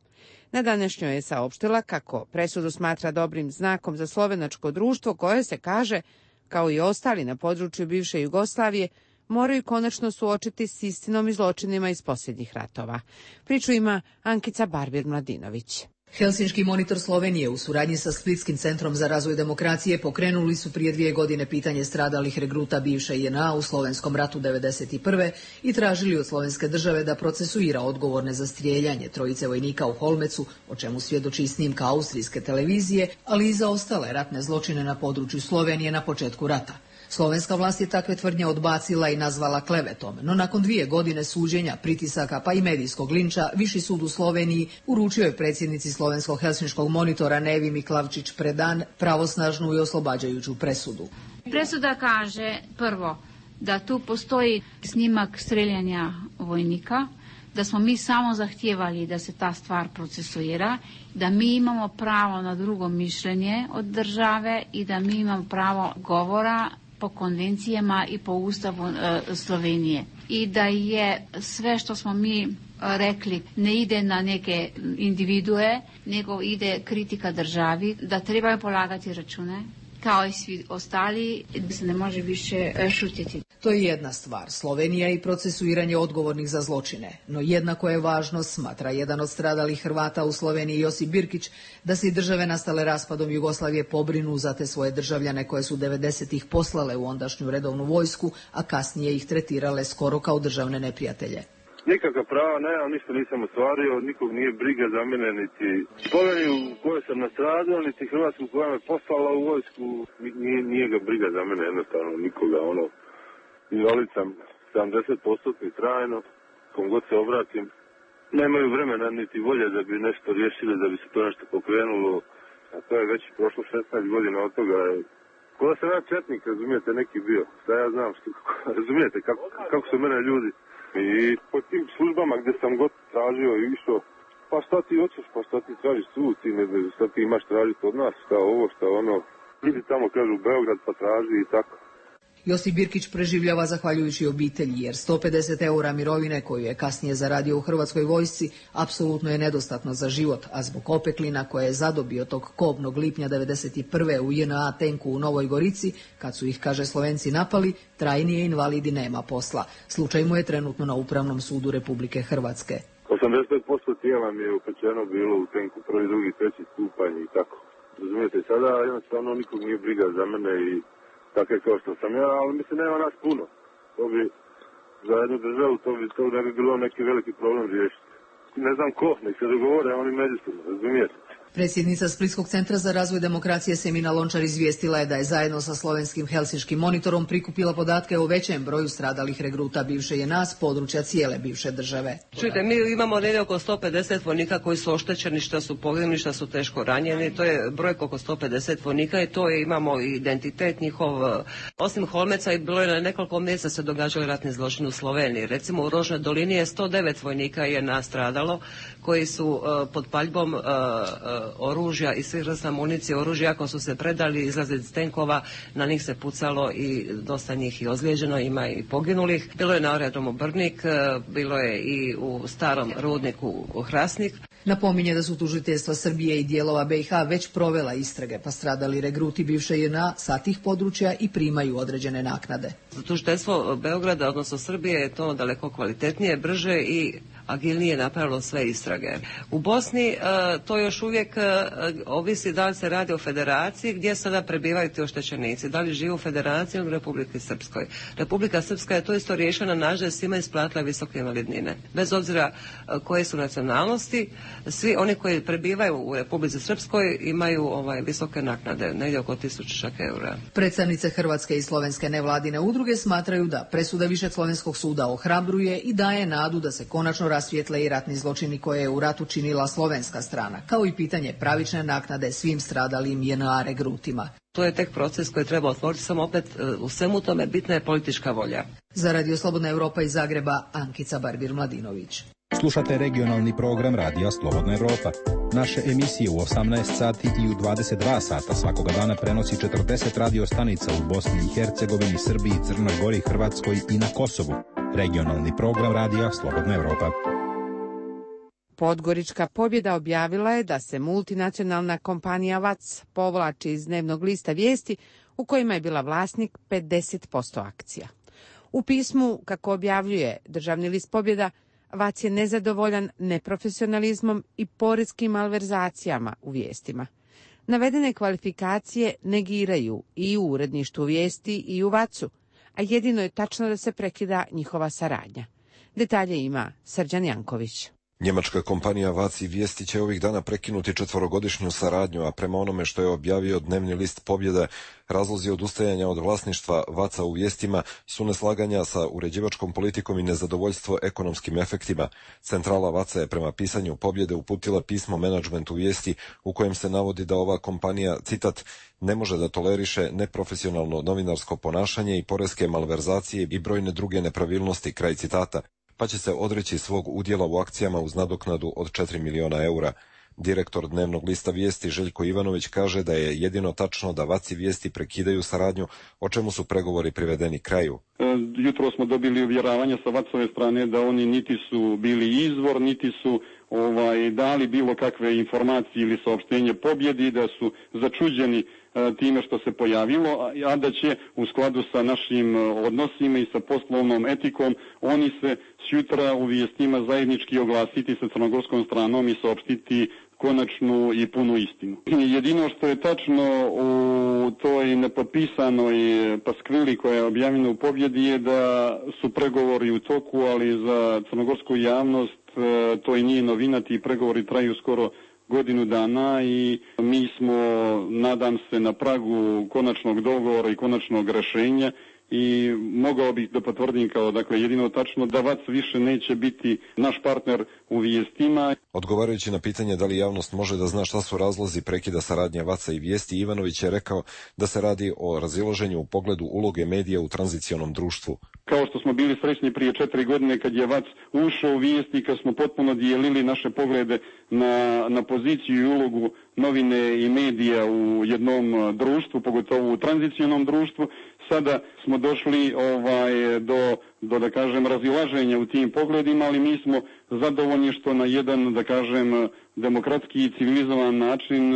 Na današnjoj je saopštila kako presudu smatra dobrim znakom za slovenačko društvo koje se kaže, kao i ostali na području bivše Jugoslavije, moraju konačno suočiti s istinom i zločinima iz posljednjih ratova. Priču ima Ankica Barbir-Mladinović. Helsinški monitor Slovenije u suradnji sa Splitskim centrom za razvoj demokracije pokrenuli su prije 2 godine pitanje stradalih regruta bivše JNA u Slovenskom ratu 1991. i tražili od slovenske države da procesuira odgovorne za strijeljanje trojice vojnika u Holmecu, o čemu svjedoči snimka austrijske televizije, ali i za ostale ratne zločine na području Slovenije na početku rata. Slovenska vlast je takve tvrdnje odbacila i nazvala klevetom, no nakon 2 godine suđenja, pritisaka pa i medijskog linča, Viši sud u Sloveniji uručio je predsjednici slovenskog Helsinškog monitora Nevi Miklavčić-Predan pravosnažnu i oslobađajuću presudu. Presuda kaže prvo da tu postoji snimak streljanja vojnika, da smo mi samo zahtijevali da se ta stvar procesuira, da mi imamo pravo na drugo mišljenje od države i da mi imamo pravo govora po konvencijama i po ustavu Slovenije. I da je sve što smo mi rekli ne ide na neke individue, nego ide kritika državi, da trebaju polagati račune, kao i svi ostali, da se ne može više šutiti. To je jedna stvar, Slovenija i procesuiranje odgovornih za zločine. No jednako je važno, smatra jedan od stradalih Hrvata u Sloveniji Josip Birkić, da se i države nastale raspadom Jugoslavije pobrinu za te svoje državljane koje su 90-ih poslale u ondašnju redovnu vojsku, a kasnije ih tretirale skoro kao državne neprijatelje. Nikakva prava nemam, ništa nisam ostvario, nikog nije briga za mene, niti Sloveniju u kojoj sam nastradao, niti Hrvatsku koja me poslala u vojsku, nije ga briga za mene, jednostavno nikoga, invalid sam 70% trajno, kom god se obratim, nemaju vremena niti volje da bi nešto riješili, da bi se to nešto pokrenulo, a to je već prošlo 16 godina od toga. Ko da sam ja četnik, razumijete, neki bio, šta ja znam, razumijete kako su mene ljudi. I po tim službama gdje sam god tražio i išao, pa šta ti hoćeš, pa šta ti tražiš tu, ti ne znaš šta ti imaš tražiti od nas, šta ovo, šta ono, idi tamo, kažu, Beograd, pa traži i tako. Josip Birkić preživljava zahvaljujući obitelji, jer 150 eura mirovine koju je kasnije zaradio u Hrvatskoj vojsci apsolutno je nedostatno za život, a zbog opeklina koje je zadobio tog kobnog lipnja 1991. u JNA tenku u Novoj Gorici, kad su ih, kaže, Slovenci napali, trajnije invalidi nema posla. Slučaj mu je trenutno na Upravnom sudu Republike Hrvatske. 85% tijela mi je upečeno bilo u tenku, 1., 2., 3. stupanj i tako. Razumijete, sada jednostavno nikog nije briga za mene i tako je kao što sam ja, ali mislim nema nas puno. To bi za jednu državu, to ne bi bilo neki veliki problem riješiti. Ne znam ko, nek se dogovore, oni međusobno, razumijete. Predsjednica Splitskog centra za razvoj demokracije Semina Lončar izvijestila je da je zajedno sa slovenskim Helsinškim monitorom prikupila podatke o većem broju stradalih regruta bivše JNA s područja cijele bivše države. Čujte, mi imamo negdje oko 150 vojnika koji su oštećeni, što su poginuli, što su teško ranjeni. To je brojka oko 150 vojnika i to je, imamo identitet njihov. Osim Holmeca i bilo je na nekoliko mjesta se događali ratni zločini u Sloveniji. Recimo u Rožnoj dolini je 109 vojnika JNA stradalo koji su pod paljbom oružja i svih vrsta municije oružja, ako su se predali, izlazili iz tenkova, na njih se pucalo i dosta njih i ozlijeđeno, ima i poginulih. Bilo je na aerodromu Brnik, bilo je i u starom rudniku u Hrasnik. Napominje da su tužiteljstva Srbije i dijelova BiH već provela istrage, pa stradali regruti bivše JNA sa tih područja i primaju određene naknade. Tužiteljstvo Beograda, odnosno Srbije, je to daleko kvalitetnije, brže i agilnije napravilo sve istrage. U Bosni to još uvijek ovisi da li se radi o federaciji, gdje sada prebivaju ti oštećenici, da li žive u federaciji ili u Republici Srpskoj. Republika Srpska je to isto riješila na način da je svima isplatila visoke invalidnine. Bez obzira koje su nacionalnosti, svi oni koji prebivaju u Republici Srpskoj imaju visoke naknade, negdje oko 1000 eura. Predstavnice hrvatske i slovenske nevladine udruge smatraju da presuda Višeg slovenskog suda ohrabruje i daje nadu da se konačno rasvijetle i ratni zločini koje je u ratu činila slovenska strana, kao i pitanje pravične naknade svim stradalim JNA regrutima. To je tek proces koji treba otvoriti, samo opet u svemu tome bitna je politička volja. Za Radio Slobodna Evropa iz Zagreba, Ankica Barbir-Mladinović. Slušate regionalni program Radija Slobodna Evropa. Naše emisije u 18 sati i u 22 sata svakoga dana prenosi 40 radio stanica u Bosni i Hercegovini, Srbiji, Crnoj Gori, Hrvatskoj i na Kosovu. Regionalni program Radija Slobodna Evropa. Podgorička pobjeda objavila je da se multinacionalna kompanija VAC povlači iz dnevnog lista vijesti u kojima je bila vlasnik 50% akcija. U pismu, kako objavljuje državni list Pobjeda, VAC je nezadovoljan neprofesionalizmom i poreskim malverzacijama u vijestima. Navedene kvalifikacije negiraju i u uredništvu vijesti i u VAC-u, a jedino je tačno da se prekida njihova saradnja. Detalje ima Srđan Janković. Njemačka kompanija VAC i Vijesti će ovih dana prekinuti 4-godišnju saradnju, a prema onome što je objavio dnevni list Pobjeda, razlozi odustajanja od vlasništva VAC-a u Vijestima su neslaganja sa uređivačkom politikom i nezadovoljstvo ekonomskim efektima. Centrala VAC-a je prema pisanju Pobjede uputila pismo menadžmentu Vijesti u kojem se navodi da ova kompanija, citat, ne može da toleriše neprofesionalno novinarsko ponašanje i poreske malverzacije i brojne druge nepravilnosti, kraj citata, pa će se odreći svog udjela u akcijama uz nadoknadu od 4 miliona eura. Direktor dnevnog lista Vijesti Željko Ivanović kaže da je jedino tačno da VAC i Vijesti prekidaju saradnju, o čemu su pregovori privedeni kraju. Jutro smo dobili uvjeravanje sa VAC-ove strane da oni niti su bili izvor, niti su dali bilo kakve informacije ili saopštenje Pobjedi, da su začuđeni time što se pojavilo, a da će u skladu sa našim odnosima i sa poslovnom etikom oni se sutra u vijestima zajednički oglasiti sa crnogorskom stranom i saopštiti konačnu i punu istinu. Jedino što je tačno u toj nepotpisanoj paskvili koja je objavljena u Pobjedi je da su pregovori u toku, ali za crnogorsku javnost to i nije novina, ti pregovori traju skoro godinu dana i mi smo, nadam se, na pragu konačnog dogovora i konačnog rješenja i mogao bih da potvrdim kao jedino tačno da VAC više neće biti naš partner u vijestima. Odgovarajući na pitanje da li javnost može da zna šta su razlozi prekida saradnje VAC-a i Vijesti, Ivanović je rekao da se radi o razilaženju u pogledu uloge medija u tranzicionom društvu. Kao što smo bili srećni prije 4 godine kad je VAC ušao u Vijesti, kad smo potpuno dijelili naše poglede na poziciju i ulogu novine i medija u jednom društvu, pogotovo u tranzicionom društvu, sada smo došli do da kažem razilaženja u tim pogledima, ali mi smo zadovoljni što na jedan da kažem demokratski i civilizovan način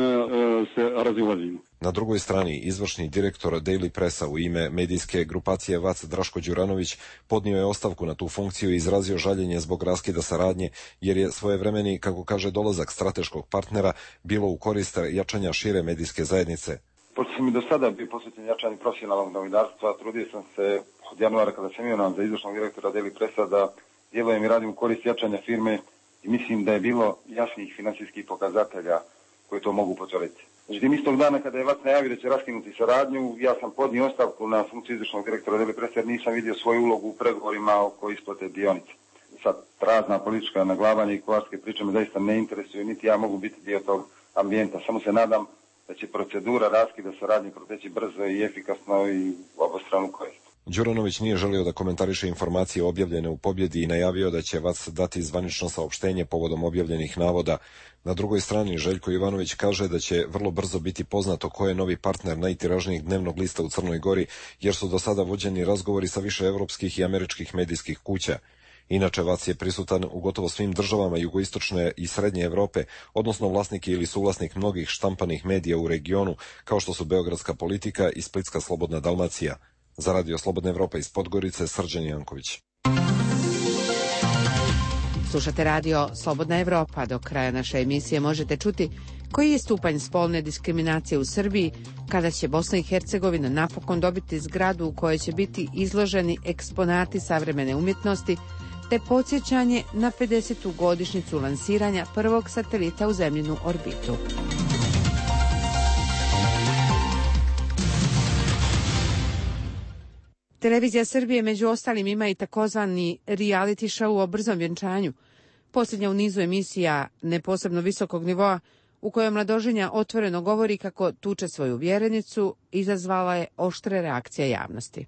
se razilazimo. Na drugoj strani, izvršni direktor Daily Pressa u ime medijske grupacije VAC Draško Đuranović podnio je ostavku na tu funkciju i izrazio žaljenje zbog raskida saradnje, jer je svojevremeni, kako kaže, dolazak strateškog partnera bilo u korist jačanja šire medijske zajednice. Pošto sam i do sada bio posvećen jačanju profesionalnog novinarstva, trudio sam se od januara kada sam imenovan za izvršnog direktora Daily Pressa da djelujem i radim u korist jačanja firme i mislim da je bilo jasnih financijskih pokazatelja koji to mogu potvrditi. Međutim, istog dana kada je VAC najavio da će raskinuti saradnju, ja sam podnio ostavku na funkciju izvršnog direktora Daily Pressa jer nisam vidio svoju ulogu u pregovorima oko isplate dionica. Sad, razna politička naglavanja i kularske priče me zaista ne interesuju, niti ja mogu biti dio tog ambijenta. Samo se nadam da će procedura raskida saradnje proteći brzo i efikasno i u obostranu korist. Đuranović nije želio da komentariše informacije objavljene u Pobjedi i najavio da će VAC dati zvanično saopštenje povodom objavljenih navoda. Na drugoj strani Željko Ivanović kaže da će vrlo brzo biti poznato ko je novi partner najtiražnijeg dnevnog lista u Crnoj Gori, jer su do sada vođeni razgovori sa više evropskih i američkih medijskih kuća. Inače, VAC je prisutan u gotovo svim državama jugoistočne i srednje Evrope, odnosno vlasnik ili suvlasnik mnogih štampanih medija u regionu, kao što su Beogradska politika i Splitska Slobodna Dalmacija. Za Radio Slobodna Evropa iz Podgorice, Srđan Janković. Slušate Radio Slobodna Evropa. Do kraja naše emisije možete čuti koji je stupanj spolne diskriminacije u Srbiji, kada će Bosna i Hercegovina napokon dobiti zgradu u kojoj će biti izloženi eksponati savremene umjetnosti, te podsjećanje na 50. godišnjicu lansiranja prvog satelita u zemljinu orbitu. Televizija Srbije među ostalim ima i takozvani reality show o brzom vjenčanju, posljednja u nizu emisija ne posebno visokog nivoa, u kojoj mladoženja otvoreno govori kako tuče svoju vjerenicu, izazvala je oštre reakcije javnosti.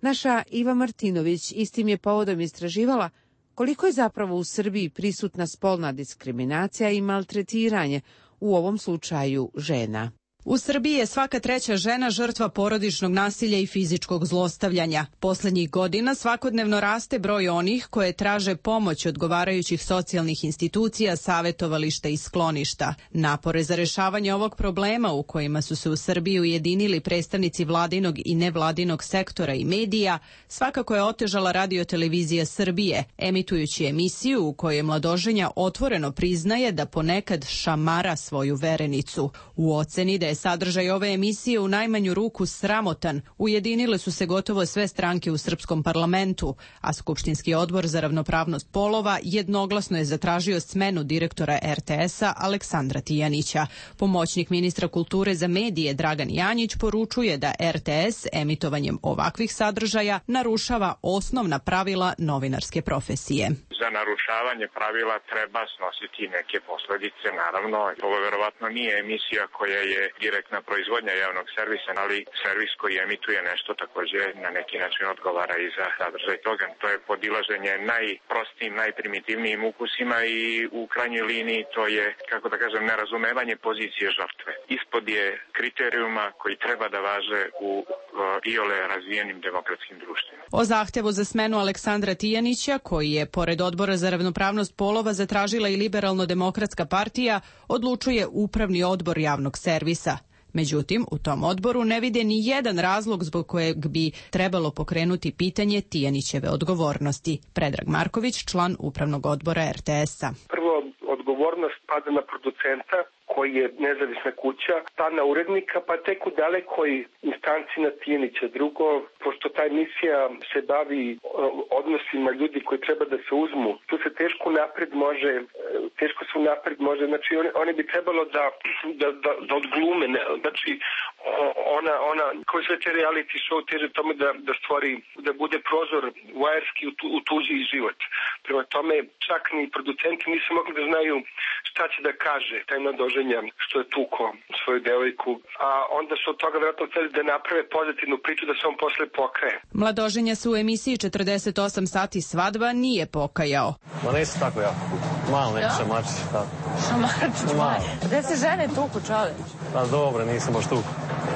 Naša Iva Martinović istim je povodom istraživala koliko je zapravo u Srbiji prisutna spolna diskriminacija i maltretiranje, u ovom slučaju žena. U Srbiji je svaka treća žena žrtva porodičnog nasilja i fizičkog zlostavljanja. Poslednjih godina svakodnevno raste broj onih koje traže pomoć odgovarajućih socijalnih institucija, savetovališta i skloništa. Napore za rešavanje ovog problema, u kojima su se u Srbiji ujedinili predstavnici vladinog i nevladinog sektora i medija, svakako je otežala Radio-televizija Srbije, emitujući emisiju u kojoj mladoženja otvoreno priznaje da ponekad šamara svoju verenicu. U oceni da je sadržaj ove emisije u najmanju ruku sramotan, ujedinile su se gotovo sve stranke u srpskom parlamentu, a Skupštinski odbor za ravnopravnost polova jednoglasno je zatražio smenu direktora RTS-a Aleksandra Tijanića. Pomoćnik ministra kulture za medije Dragan Janjić poručuje da RTS emitovanjem ovakvih sadržaja narušava osnovna pravila novinarske profesije. Za narušavanje pravila treba snositi neke posledice, naravno. Ovo verovatno nije emisija koja je direktna proizvodnja javnog servisa, ali servis koji emituje nešto također na neki način odgovara i za sadržaj toga. To je podilaženje najprostijim, najprimitivnijim ukusima i u krajnjoj liniji to je, kako da kažem, nerazumevanje pozicije žrtve. Ispod je kriterijuma koji treba da važe u iole razvijenim demokratskim društvima. O zahtevu za smenu Aleksandra Tijanića, koji je pored Odbora za ravnopravnost polova zatražila i Liberalno-demokratska partija, odlučuje Upravni odbor javnog servisa. Međutim, u tom odboru ne vide ni jedan razlog zbog kojeg bi trebalo pokrenuti pitanje Tijanićeve odgovornosti. Predrag Marković, član Upravnog odbora RTS-a. Prvo, odgovornost pada na producenta, koji je nezavisna kuća, pa na urednika, pa tek u dalekoj instanci na Tijanića. Drugo, pošto ta emisija se bavi odnosima ljudi koji treba da se uzmu, tu se teško napred može, znači oni bi trebalo da odglume, znači ona koji sve te reality show teže tome da stvori, da bude prozor vajerski u tuđi život. Prema tome, čak ni producenti nisu mogli da znaju šta će da kaže taj mladoženja što je tuko svoju devojku, a onda su od toga vjerojatno hteli da naprave pozitivnu priču da se on posle pokaje. Mladoženja se u emisiji 48 sati svadba nije pokajao. Ma nisu tako jako. Malo neki šamačić. Šamačić? Gde se žene tuku, čoveč? Pa dobro, nisam baš tuku.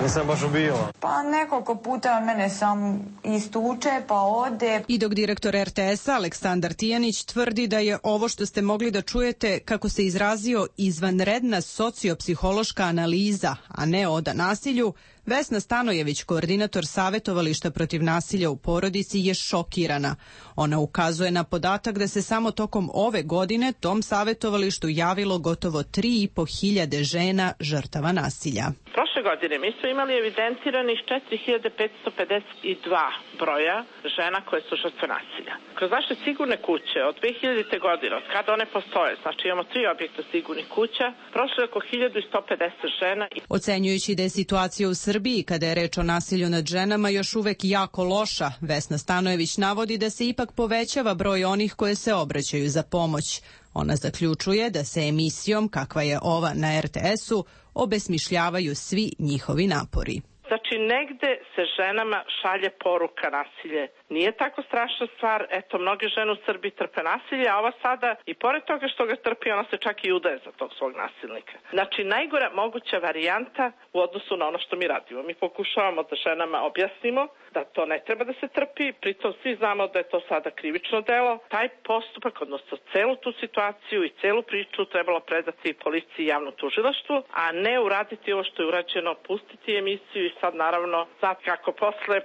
Nisam baš ubijala. Pa nekoliko puta mene sam istuče, pa ode. I dok direktor RTS-a Aleksandar Tijanić tvrdi da je ovo što ste mogli da čujete, kako se izrazio, izvanredna sociopsihološka analiza, a ne oda nasilju, Vesna Stanojević, koordinator Savetovališta protiv nasilja u porodici, je šokirana. Ona ukazuje na podatak da se samo tokom ove godine tom savetovalištu javilo gotovo 3.500 žena žrtava nasilja. Prošle godine mi smo imali evidentiranih 4.552 broja žena koje su žrtve nasilja. Kroz naše sigurne kuće od 2000. godine, od kada one postoje, znači imamo 3 objekta sigurnih kuća, prošlo je oko 1150 žena. Ocenjujući da je situacija u Srbiji, kada je reč o nasilju nad ženama, još uvek jako loša, Vesna Stanojević navodi da se ipak povećava broj onih koje se obraćaju za pomoć. Ona zaključuje da se emisijom, kakva je ova na RTS-u, obesmišljavaju svi njihovi napori. Za Znači, negde se ženama šalje poruka nasilje. Nije tako strašna stvar, eto, mnoge žene u Srbiji trpe nasilje, a ova sada, i pored toga što ga trpi, ona se čak i udaje za tog svog nasilnika. Znači, najgora moguća varijanta u odnosu na ono što mi radimo. Mi pokušavamo da ženama objasnimo da to ne treba da se trpi, pritom svi znamo da je to sada krivično delo. Taj postupak, odnosno celu tu situaciju i celu priču trebalo predati policiji i javnom tužilaštvu, a ne uraditi ovo što je urađeno, pustiti emisiju i sad naravno, sad kako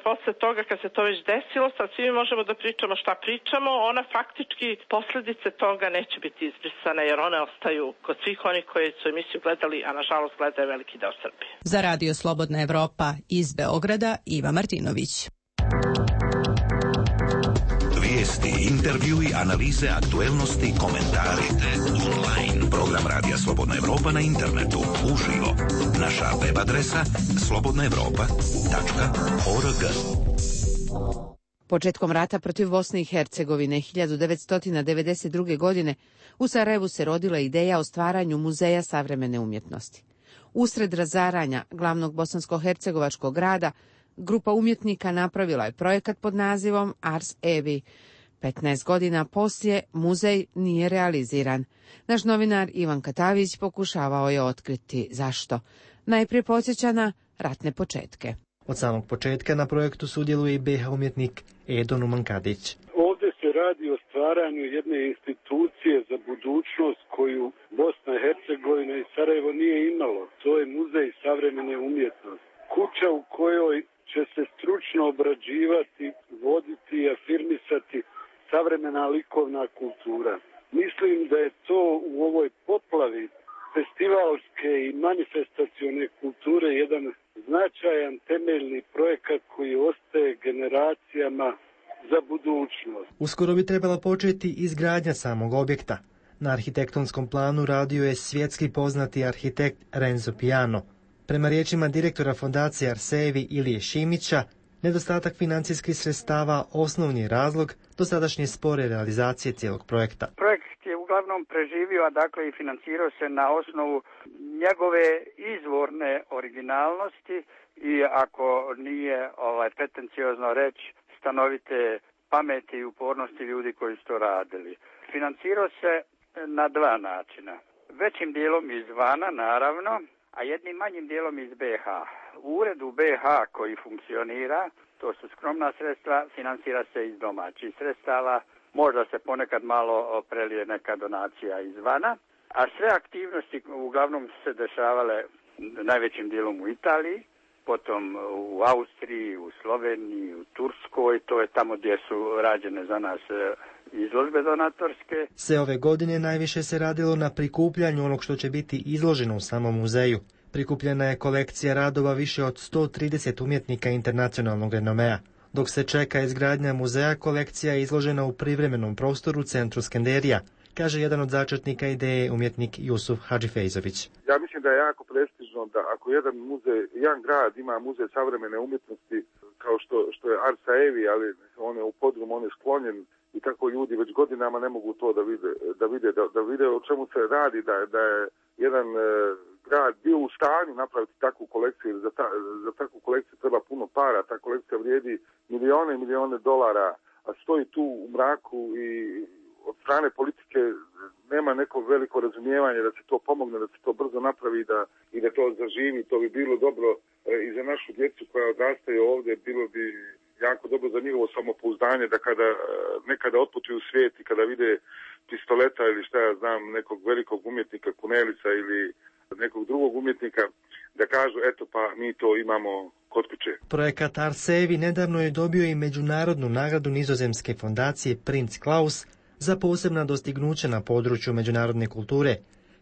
posle toga kad se to već desilo, sad svi možemo da pričamo šta pričamo, ona faktički posledice toga neće biti izbrisane jer one ostaju kod svih onih koji su emisiju gledali, a nažalost gledaju veliki deo Srbije. Za Radio Slobodna Evropa iz Beograda, Iva Martinović. Vijesti, intervjui, analize, aktuelnosti, komentari. Online. Program Radija Slobodna Evropa na internetu. Uživo. Naša web adresa slobodnaevropa.org. Početkom rata protiv Bosne i Hercegovine 1992. godine u Sarajevu se rodila ideja o stvaranju muzeja savremene umjetnosti. Usred razaranja glavnog bosansko-hercegovačkog grada, grupa umjetnika napravila je projekat pod nazivom Ars Evi. 15 godina poslije muzej nije realiziran. Naš novinar Ivan Katavić pokušavao je otkriti zašto. Najprije podsjeća na ratne početke. Od samog početka na projektu sudjeluje i BiH umjetnik Edo Numankadić. Ovdje se radi o stvaranju jedne institucije za budućnost koju Bosna i Hercegovina i Sarajevo nije imalo. To je muzej savremene umjetnosti. Kuća u kojoj će se stručno obrađivati, voditi i afirmisati savremena likovna kultura. Mislim da je to u ovoj poplavi festivalske i manifestacione kulture jedan značajan temeljni projekat koji ostaje generacijama za budućnost. Uskoro bi trebala početi izgradnja samog objekta. Na arhitektonskom planu radio je svjetski poznati arhitekt Renzo Piano. Prema riječima direktora fondacije Arsevi Ilije Šimića, nedostatak financijskih sredstava osnovni je razlog dosadašnje spore realizacije cijelog projekta. Projekt je uglavnom preživio, a dakle i financirao se na osnovu njegove izvorne originalnosti i ako nije pretenciozno reći stanovite pameti i upornosti ljudi koji su to radili. Financirao se na dva načina. Većim dijelom izvana, naravno, a jednim manjim dijelom iz BiH. U uredu BiH koji funkcionira, to su skromna sredstva, financira se iz domaćih sredstava, možda se ponekad malo prelije neka donacija izvana, a sve aktivnosti uglavnom se dešavale najvećim dijelom u Italiji, potom u Austriji, u Sloveniji, u Turskoj, to je tamo gdje su rađene za nas izložbe donatorske. Sve ove godine najviše se radilo na prikupljanju onog što će biti izloženo u samom muzeju. Prikupljena je kolekcija radova više od 130 umjetnika internacionalnog renomea. Dok se čeka izgradnja muzeja, kolekcija je izložena u privremenom prostoru centru Skenderija, kaže jedan od začetnika ideje umjetnik Jusuf Hadžifejzović. Ja mislim da je jako prestižno da ako jedan grad ima muzej savremene umjetnosti kao što je Arsa Evi, ali on je u podrumu, on je sklonjen i tako ljudi već godinama ne mogu to da vide o čemu se radi, da je jedan grad bio u stanju napraviti takvu kolekciju, za takvu kolekciju treba puno para, ta kolekcija vrijedi milijone i milijone dolara, a stoji tu u mraku i od strane politike nema neko veliko razumijevanje da se to pomogne, da se to brzo napravi i da to zaživi. To bi bilo dobro i za našu djecu koja odrastaju ovdje, bilo bi jako dobro za njihovo samopouzdanje da kada nekada otputuju u svijet i kada vide pistoleta ili šta ja znam, nekog velikog umjetnika Kunelica ili nekog drugog umjetnika, da kažu eto pa mi to imamo kod kuće. Projekat Arsevi nedavno je dobio i međunarodnu nagradu nizozemske fondacije Prinz Klaus za posebna dostignuća na području međunarodne kulture,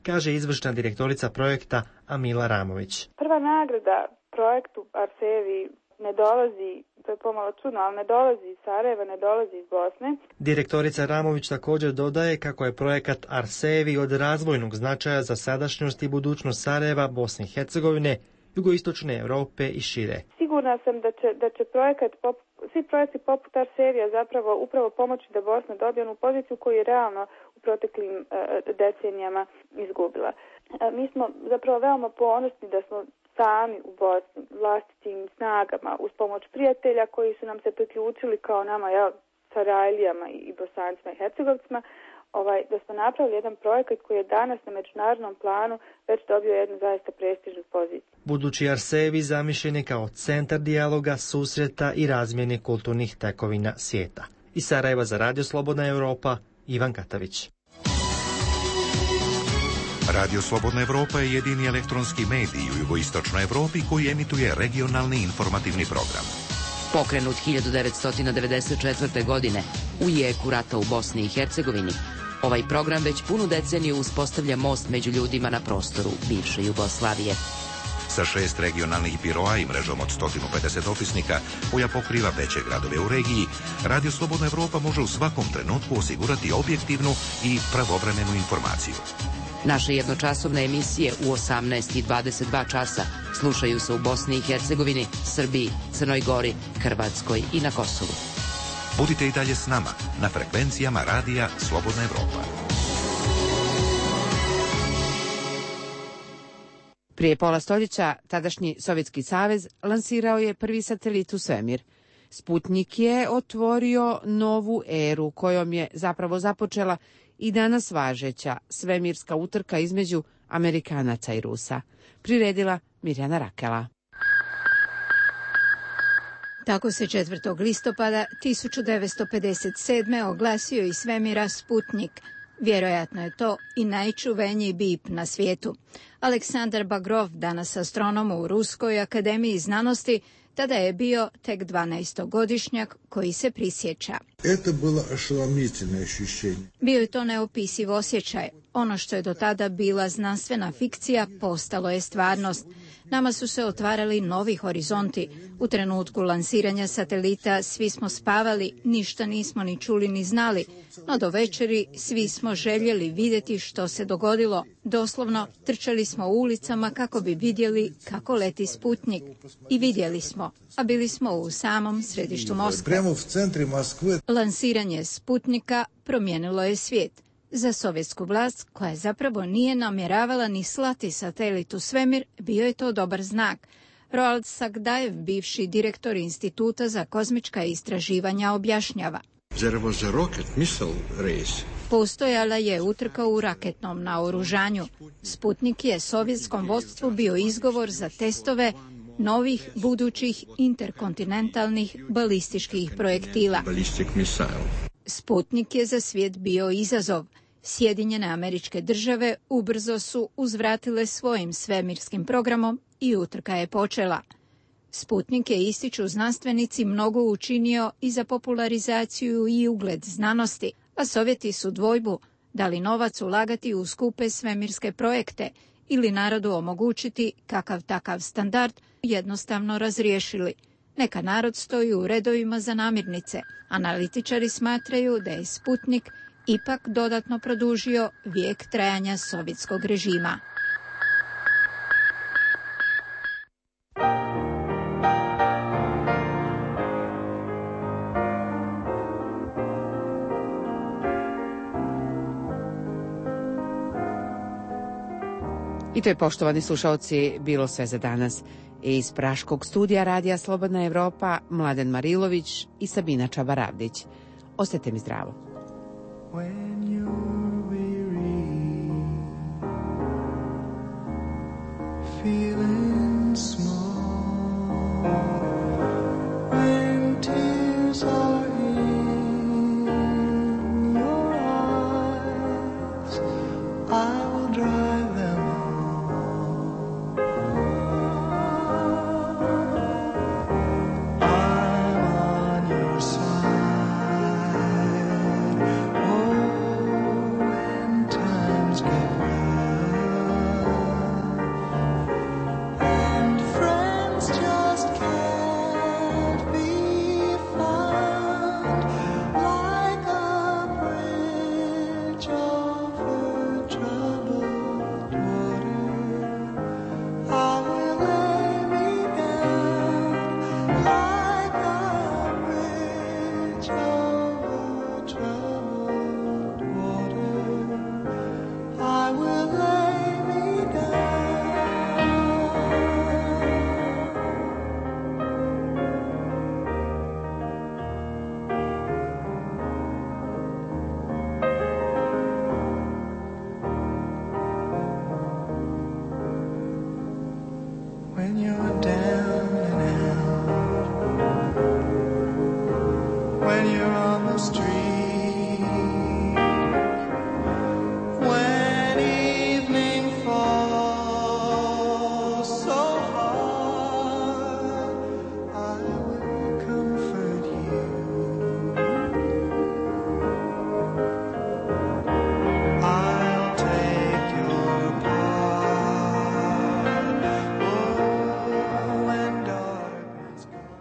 kaže izvršna direktorica projekta Amila Ramović. Prva nagrada projektu Arsevi ne dolazi, to je pomalo čudno, ali ne dolazi iz Sarajeva, ne dolazi iz Bosne. Direktorica Ramović također dodaje kako je projekat Arsevi od razvojnog značaja za sadašnjost i budućnost Sarajeva, Bosne i Hercegovine, jugoistočne Europe i šire. Sigurna sam da će svi projekti poput Arsevija zapravo upravo pomoći da Bosna dobije onu poziciju koju je realno u proteklim decenijama izgubila. Mi smo zapravo veoma ponosni da smo sami u Bosni, vlastitim snagama, uz pomoć prijatelja koji su nam se priključili kao nama, Sarajlijama i Bosancima i Hercegovcima, da smo napravili jedan projekat koji je danas na međunarodnom planu već dobio jednu zaista prestižnu poziciju. Budući arsevi zamišljen je kao centar dijaloga, susreta i razmjene kulturnih tekovina svijeta. Iz Sarajeva za Radio Slobodna Evropa, Ivan Katavić. Radio Slobodna Evropa je jedini elektronski medij u jugoistočnoj Evropi koji emituje regionalni informativni program. Pokrenut 1994. godine u jeku rata u Bosni i Hercegovini, ovaj program već punu deceniju uspostavlja most među ljudima na prostoru bivše Jugoslavije. Sa 6 regionalnih biroa i mrežom od 150 opisnika koja pokriva veće gradove u regiji, Radio Slobodna Evropa može u svakom trenutku osigurati objektivnu i pravovremenu informaciju. Naše jednočasovne emisije u 18 i 22 časa slušaju se u Bosni i Hercegovini, Srbiji, Crnoj Gori, Hrvatskoj i na Kosovu. Budite i dalje s nama na frekvencijama Radija Slobodna Evropa. Prije pola stoljeća tadašnji Sovjetski savez lansirao je prvi satelit u svemir. Sputnik je otvorio novu eru kojom je zapravo započela i danas važeća svemirska utrka između Amerikanaca i Rusa. Priredila Mirjana Rakela. Tako se 4. listopada 1957. oglasio iz svemira Sputnik. Vjerojatno je to i najčuveniji bip na svijetu. Aleksandar Bagrov, danas astronom u Ruskoj akademiji znanosti, tada je bio tek 12-godišnjak koji se prisjeća. Bio je to neopisiv osjećaj. Ono što je do tada bila znanstvena fikcija postalo je stvarnost. Nama su se otvarali novi horizonti. U trenutku lansiranja satelita svi smo spavali, ništa nismo ni čuli ni znali, no do večeri svi smo željeli vidjeti što se dogodilo. Doslovno trčali smo ulicama kako bi vidjeli kako leti Sputnik. I vidjeli smo, a bili smo u samom središtu Moskve. Lansiranje Sputnika promijenilo je svijet. Za sovjetsku vlast, koja zapravo nije namjeravala ni slati satelit u svemir, bio je to dobar znak. Roald Sagdajev, bivši direktor Instituta za kozmička istraživanja, objašnjava. Postojala je utrka u raketnom naoružanju. Sputnik je sovjetskom vodstvu bio izgovor za testove novih budućih interkontinentalnih balističkih projektila. Sputnik je za svijet bio izazov. Sjedinjene Američke Države ubrzo su uzvratile svojim svemirskim programom i utrka je počela. Sputnik je, ističu znanstvenici, mnogo učinio i za popularizaciju i ugled znanosti, a Sovjeti su dvojbu da li novac ulagati u skupe svemirske projekte ili narodu omogućiti kakav takav standard jednostavno razriješili. Neka narod stoji u redovima za namirnice. Analitičari smatraju da je Sputnik ipak dodatno produžio vijek trajanja sovjetskog režima. I to je, poštovani slušalci, bilo sve za danas. Iz praškog studija Radija Slobodna Evropa, Mladen Marilović i Sabina Čabaravdić. Ostajte mi zdravo.